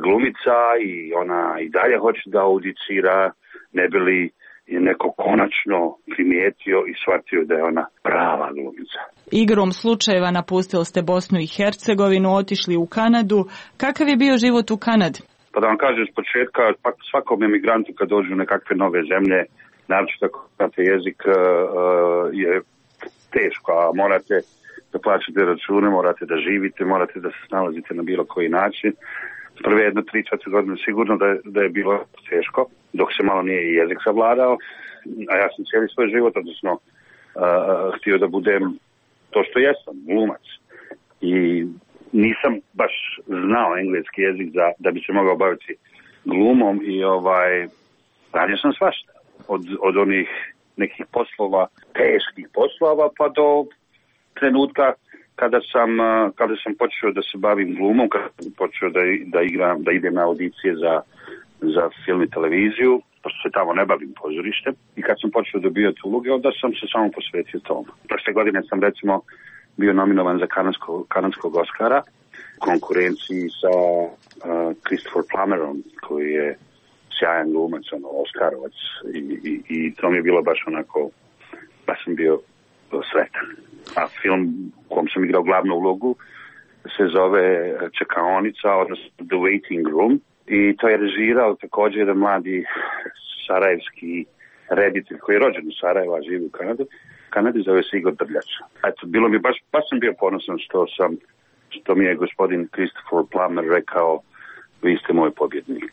glumica i ona i dalje hoće da audicira, ne bi li je neko konačno primijetio i shvatio da je ona prava glumica. Igrom slučajeva napustili ste Bosnu i Hercegovinu, otišli u Kanadu. Kakav je bio život u Kanadi? Pa da vam kažem s početka, svakom emigrantu kad dođu u nekakve nove zemlje, naročito ako znate jezik, uh, je teško, a morate da plaćate račune, morate da živite, morate da se snalazite na bilo koji način. Prve jedno, tri, četiri godine sigurno da je, da je bilo teško, dok se malo nije i jezik savladao, a ja sam cijeli svoj život, odnosno uh, htio da budem to što jesam, glumac. I nisam baš znao engleski jezik za, da bi se mogao baviti glumom i ovaj, radio sam svašta. Od, od onih nekih poslova, teških poslova, pa do trenutka kada sam, kada sam počeo da se bavim glumom, kada sam počeo da, da igram, da idem na audicije za, za film i televiziju, pošto se tamo ne bavim pozorištem, i kad sam počeo dobijati uloge, onda sam se samo posvetio tomu. Prošle godine sam recimo bio nominovan za kanadskog, kanadskog Oscara, konkurenciji sa uh, Christopher Plummerom, koji je sjajan glumac, ono, Oscarovac, i, i, i to mi je bilo baš onako, baš sam bio sretan. A film u kom sam igrao glavnu ulogu se zove Čekaonica, odnosno The Waiting Room, i to je režirao također jedan mladi sarajevski reditelj koji je rođen u Sarajevu, a živi u Kanadi. Kanadi zove se Igor Drljač. Eto, bilo mi baš, baš sam bio ponosan što sam, što mi je gospodin Christopher Plummer rekao, vi ste moj pobjednik.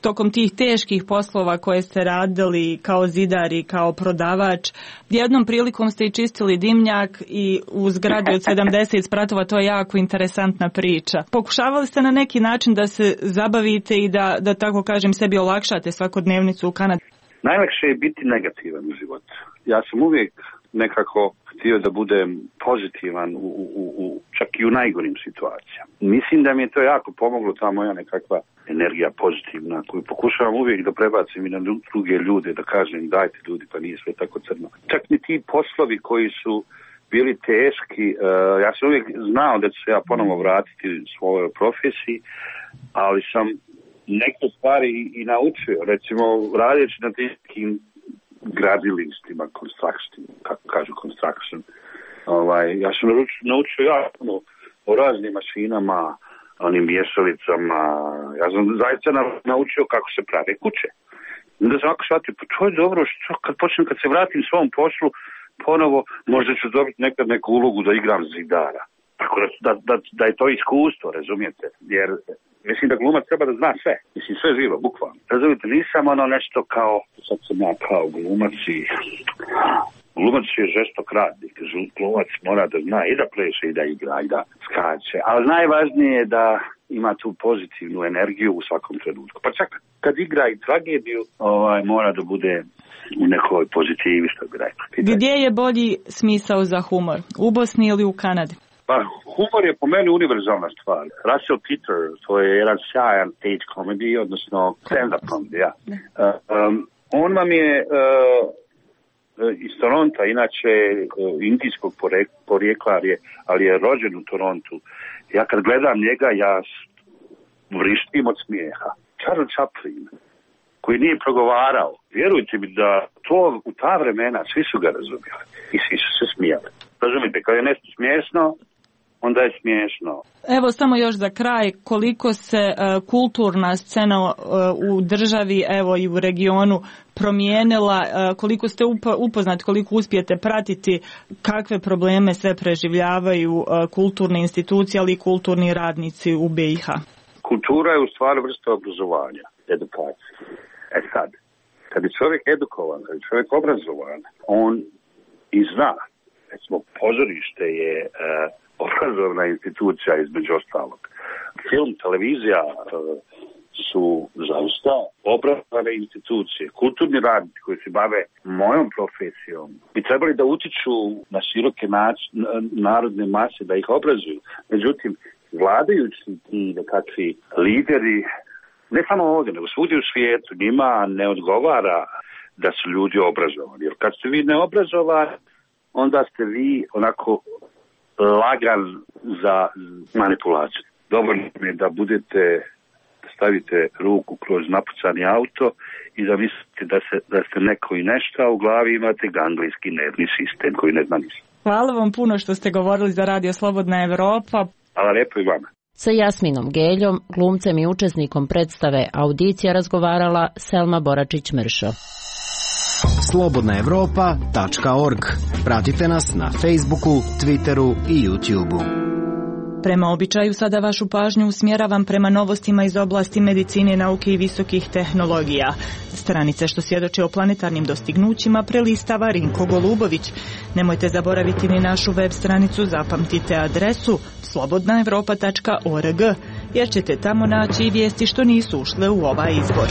Tokom tih teških poslova koje ste radili kao zidar i kao prodavač, jednom prilikom ste i čistili dimnjak i u zgradi od sedamdeset spratova, to je jako interesantna priča. Pokušavali ste na neki način da se zabavite i da, da tako kažem, sebi olakšate svakodnevnicu u Kanadi? Najlakše je biti negativan u životu. Ja sam uvijek nekako htio da budem pozitivan u, u, u, čak i u najgorim situacijama. Mislim da mi je to jako pomoglo, ta moja nekakva energija pozitivna koju pokušavam uvijek da prebacim i na druge ljude, da kažem dajte ljudi, pa nije sve tako crno. Čak ni ti poslovi koji su bili teški, uh, ja sam uvijek znao da ću se ja ponovo vratiti svojoj profesiji, ali sam neke stvari i, i naučio, recimo radeći na tim gradilištima, construction, kako kažu construction. Ovaj, ja sam naučio jasno o raznim mašinama, onim mješalicama, ja sam zaista naučio kako se prave kuće. Onda sam ovako shvatio, pa to je dobro, što kad počnem, kad se vratim svom poslu, ponovo možda ću dobiti nekad neku ulogu da igram zidara. Tako da, da, da, da je to iskustvo, razumijete, jer mislim da glumac treba da zna sve. Mislim, sve živo, bukvalno. Razumite, nisam ono nešto kao, sad sam ja kao glumac i... Glumac je žestok radnik. Glumac mora da zna i da pleše, i da igra, i da skače. Ali najvažnije je da ima tu pozitivnu energiju u svakom trenutku. Pa čak kad igra i tragediju, ovaj, mora da bude u nekoj pozitivi, što bi rekao. Gdje je bolji smisao za humor? U Bosni ili u Kanadi? Pa, humor je po meni univerzalna stvar. Russell Peters, to je jedan sjajan stage comedy, odnosno stand-up comedy, ja. Uh, um, On vam je uh, iz Toronta, inače uh, indijskog porijekla, ali je rođen u Torontu. Ja kad gledam njega, ja vrištim od smijeha. Charles Chaplin, koji nije progovarao, vjerujte mi da to u ta vremena svi su ga razumjeli i svi su se smijali. Razumite, kad je nešto smiješno, onda je smiješno. Evo samo još za kraj, koliko se uh, kulturna scena uh, u državi, evo i u regionu promijenila, uh, koliko ste upo, upoznati, koliko uspijete pratiti, kakve probleme sve preživljavaju uh, kulturne institucije, ali i kulturni radnici u B i H? Kultura je u stvari vrsta obrazovanja, edukacije. E sad, kad je čovjek edukovan, kad je čovjek obrazovan, on i zna. Recimo, pozorište je uh, obrazovna institucija između ostalog. Film, televizija uh, su zaista obrazovane institucije. Kulturni radnici koji se bave mojom profesijom bi trebali da utiču na široke nac, narodne mase, da ih obrazuju. Međutim, vladajući i nekakvi lideri, ne samo ovdje, nego svugdje u svijetu, njima ne odgovara da su ljudi obrazovani. Jer kad ste vi neobrazovani, onda ste vi onako lagan za manipulaciju. Dobro je da budete, stavite ruku kroz napucani auto i da mislite da, se, da ste neko i nešto, a u glavi imate ganglijski nervni sistem koji ne zna ništa. Hvala vam puno što ste govorili za Radio Slobodna Evropa. Hvala lijepo i vama. Sa Jasminom Geljom, glumcem i učesnikom predstave Audicija, razgovarala Selma Boračić-Mršo. slobodna evropa tačka org. Pratite nas na Facebooku, Twitteru i YouTubeu. Prema običaju sada vašu pažnju usmjeravam prema novostima iz oblasti medicine, nauke i visokih tehnologija. Stranice što svjedoče o planetarnim dostignućima prelistava Rinko Golubović. Nemojte zaboraviti ni našu web stranicu, zapamtite adresu slobodna evropa tačka org, jer ćete tamo naći i vijesti što nisu ušle u ovaj izbor.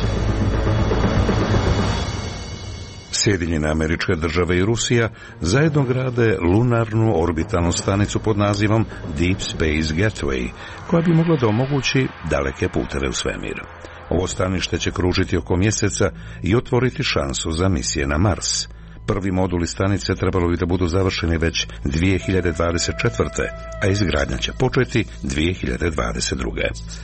Sjedinjene Američke Države i Rusija zajedno grade lunarnu orbitalnu stanicu pod nazivom Deep Space Gateway, koja bi mogla da omogući daleke puteve u svemir. Ovo stanište će kružiti oko mjeseca i otvoriti šansu za misije na Mars. Prvi moduli stanice trebalo bi da budu završeni već dvije hiljade dvadeset četvrte. a izgradnja će početi dvije hiljade dvadeset druge.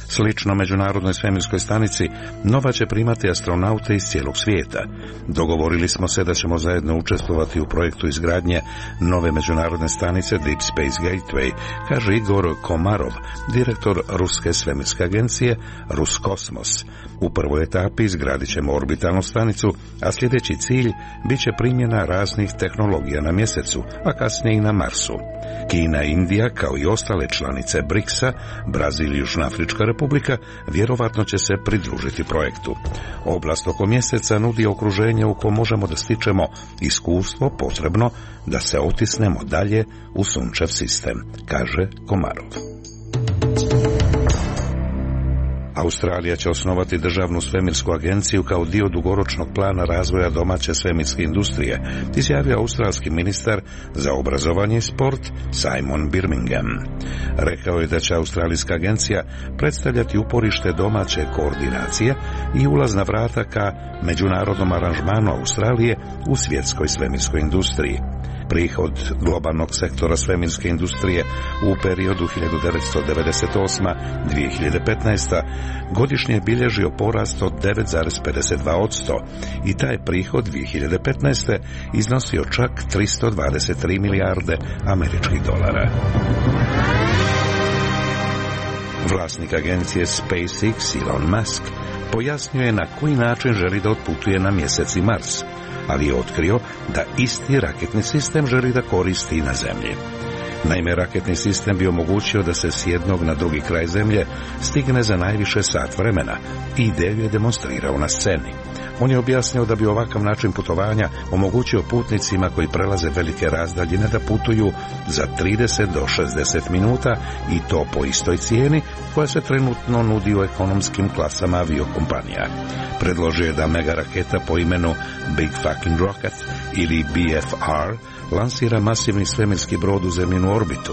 Slično Međunarodnoj svemirskoj stanici, Nova će primati astronaute iz cijelog svijeta. Dogovorili smo se da ćemo zajedno učestvovati u projektu izgradnje nove međunarodne stanice Deep Space Gateway, kaže Igor Komarov, direktor Ruske svemirske agencije Ruskosmos. U prvoj etapi izgradit ćemo orbitalnu stanicu, a sljedeći cilj bit će primjena raznih tehnologija na mjesecu, a kasnije i na Marsu. Kina i Indija, kao i ostale članice briksa, Brazil i Južnoafrička republika, vjerovatno će se pridružiti projektu. Oblast oko mjeseca nudi okruženje u kojem možemo da stičemo iskustvo potrebno da se otisnemo dalje u sunčev sistem, kaže Komarov. Australija će osnovati državnu svemirsku agenciju kao dio dugoročnog plana razvoja domaće svemirske industrije, izjavio australski ministar za obrazovanje i sport Simon Birmingham. Rekao je da će australijska agencija predstavljati uporište domaće koordinacije i ulazna vrata ka međunarodnom aranžmanu Australije u svjetskoj svemirskoj industriji. Prihod globalnog sektora svemirske industrije u periodu hiljadu devetsto devedeset osma do dvije hiljade petnaeste. godišnje je bilježio porast od devet zarez pedeset dva posto i taj prihod dvije hiljade petnaeste. iznosio čak tristo dvadeset tri milijarde američkih dolara. Vlasnik agencije SpaceX Elon Musk pojasnio je na koji način želi da otputuje na mjesec i Mars, ali je otkrio da isti raketni sistem želi da koristi i na Zemlji. Naime, raketni sistem bi omogućio da se s jednog na drugi kraj Zemlje stigne za najviše sat vremena i ideju je demonstrirao na sceni. On je objasnio da bi ovakav način putovanja omogućio putnicima koji prelaze velike razdaljine da putuju za trideset do šezdeset minuta i to po istoj cijeni koja se trenutno nudi u ekonomskim klasama aviokompanija. Predložio je da mega raketa po imenu Big Fucking Rocket ili B F R lansira masivni svemirski brod u zemljinu orbitu.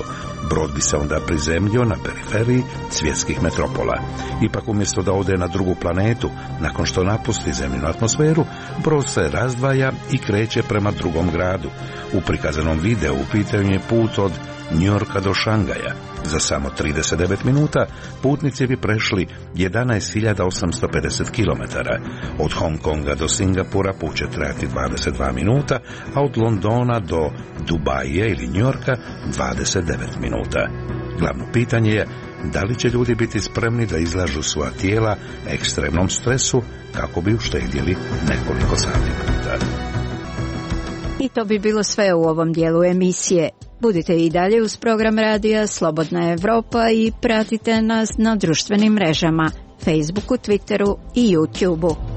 Brod bi se onda prizemljio na periferiji svjetskih metropola. Ipak umjesto da ode na drugu planetu, nakon što napusti zemljinu atmosferu, brod se razdvaja i kreće prema drugom gradu. U prikazanom videu u pitanju je put od Njujorka do Šangaja. Za samo trideset devet minuta putnici bi prešli jedanaest hiljada osamsto pedeset kilometara. Od Hong Konga do Singapura put će trajati dvadeset dva minuta, a od Londona do Dubaija ili Njujorka dvadeset devet minuta. Glavno pitanje je da li će ljudi biti spremni da izlažu svoja tijela ekstremnom stresu kako bi uštedjeli nekoliko sati puta. I to bi bilo sve u ovom dijelu emisije. Budite i dalje uz program radija Slobodna Evropa i pratite nas na društvenim mrežama, Facebooku, Twitteru i YouTubeu.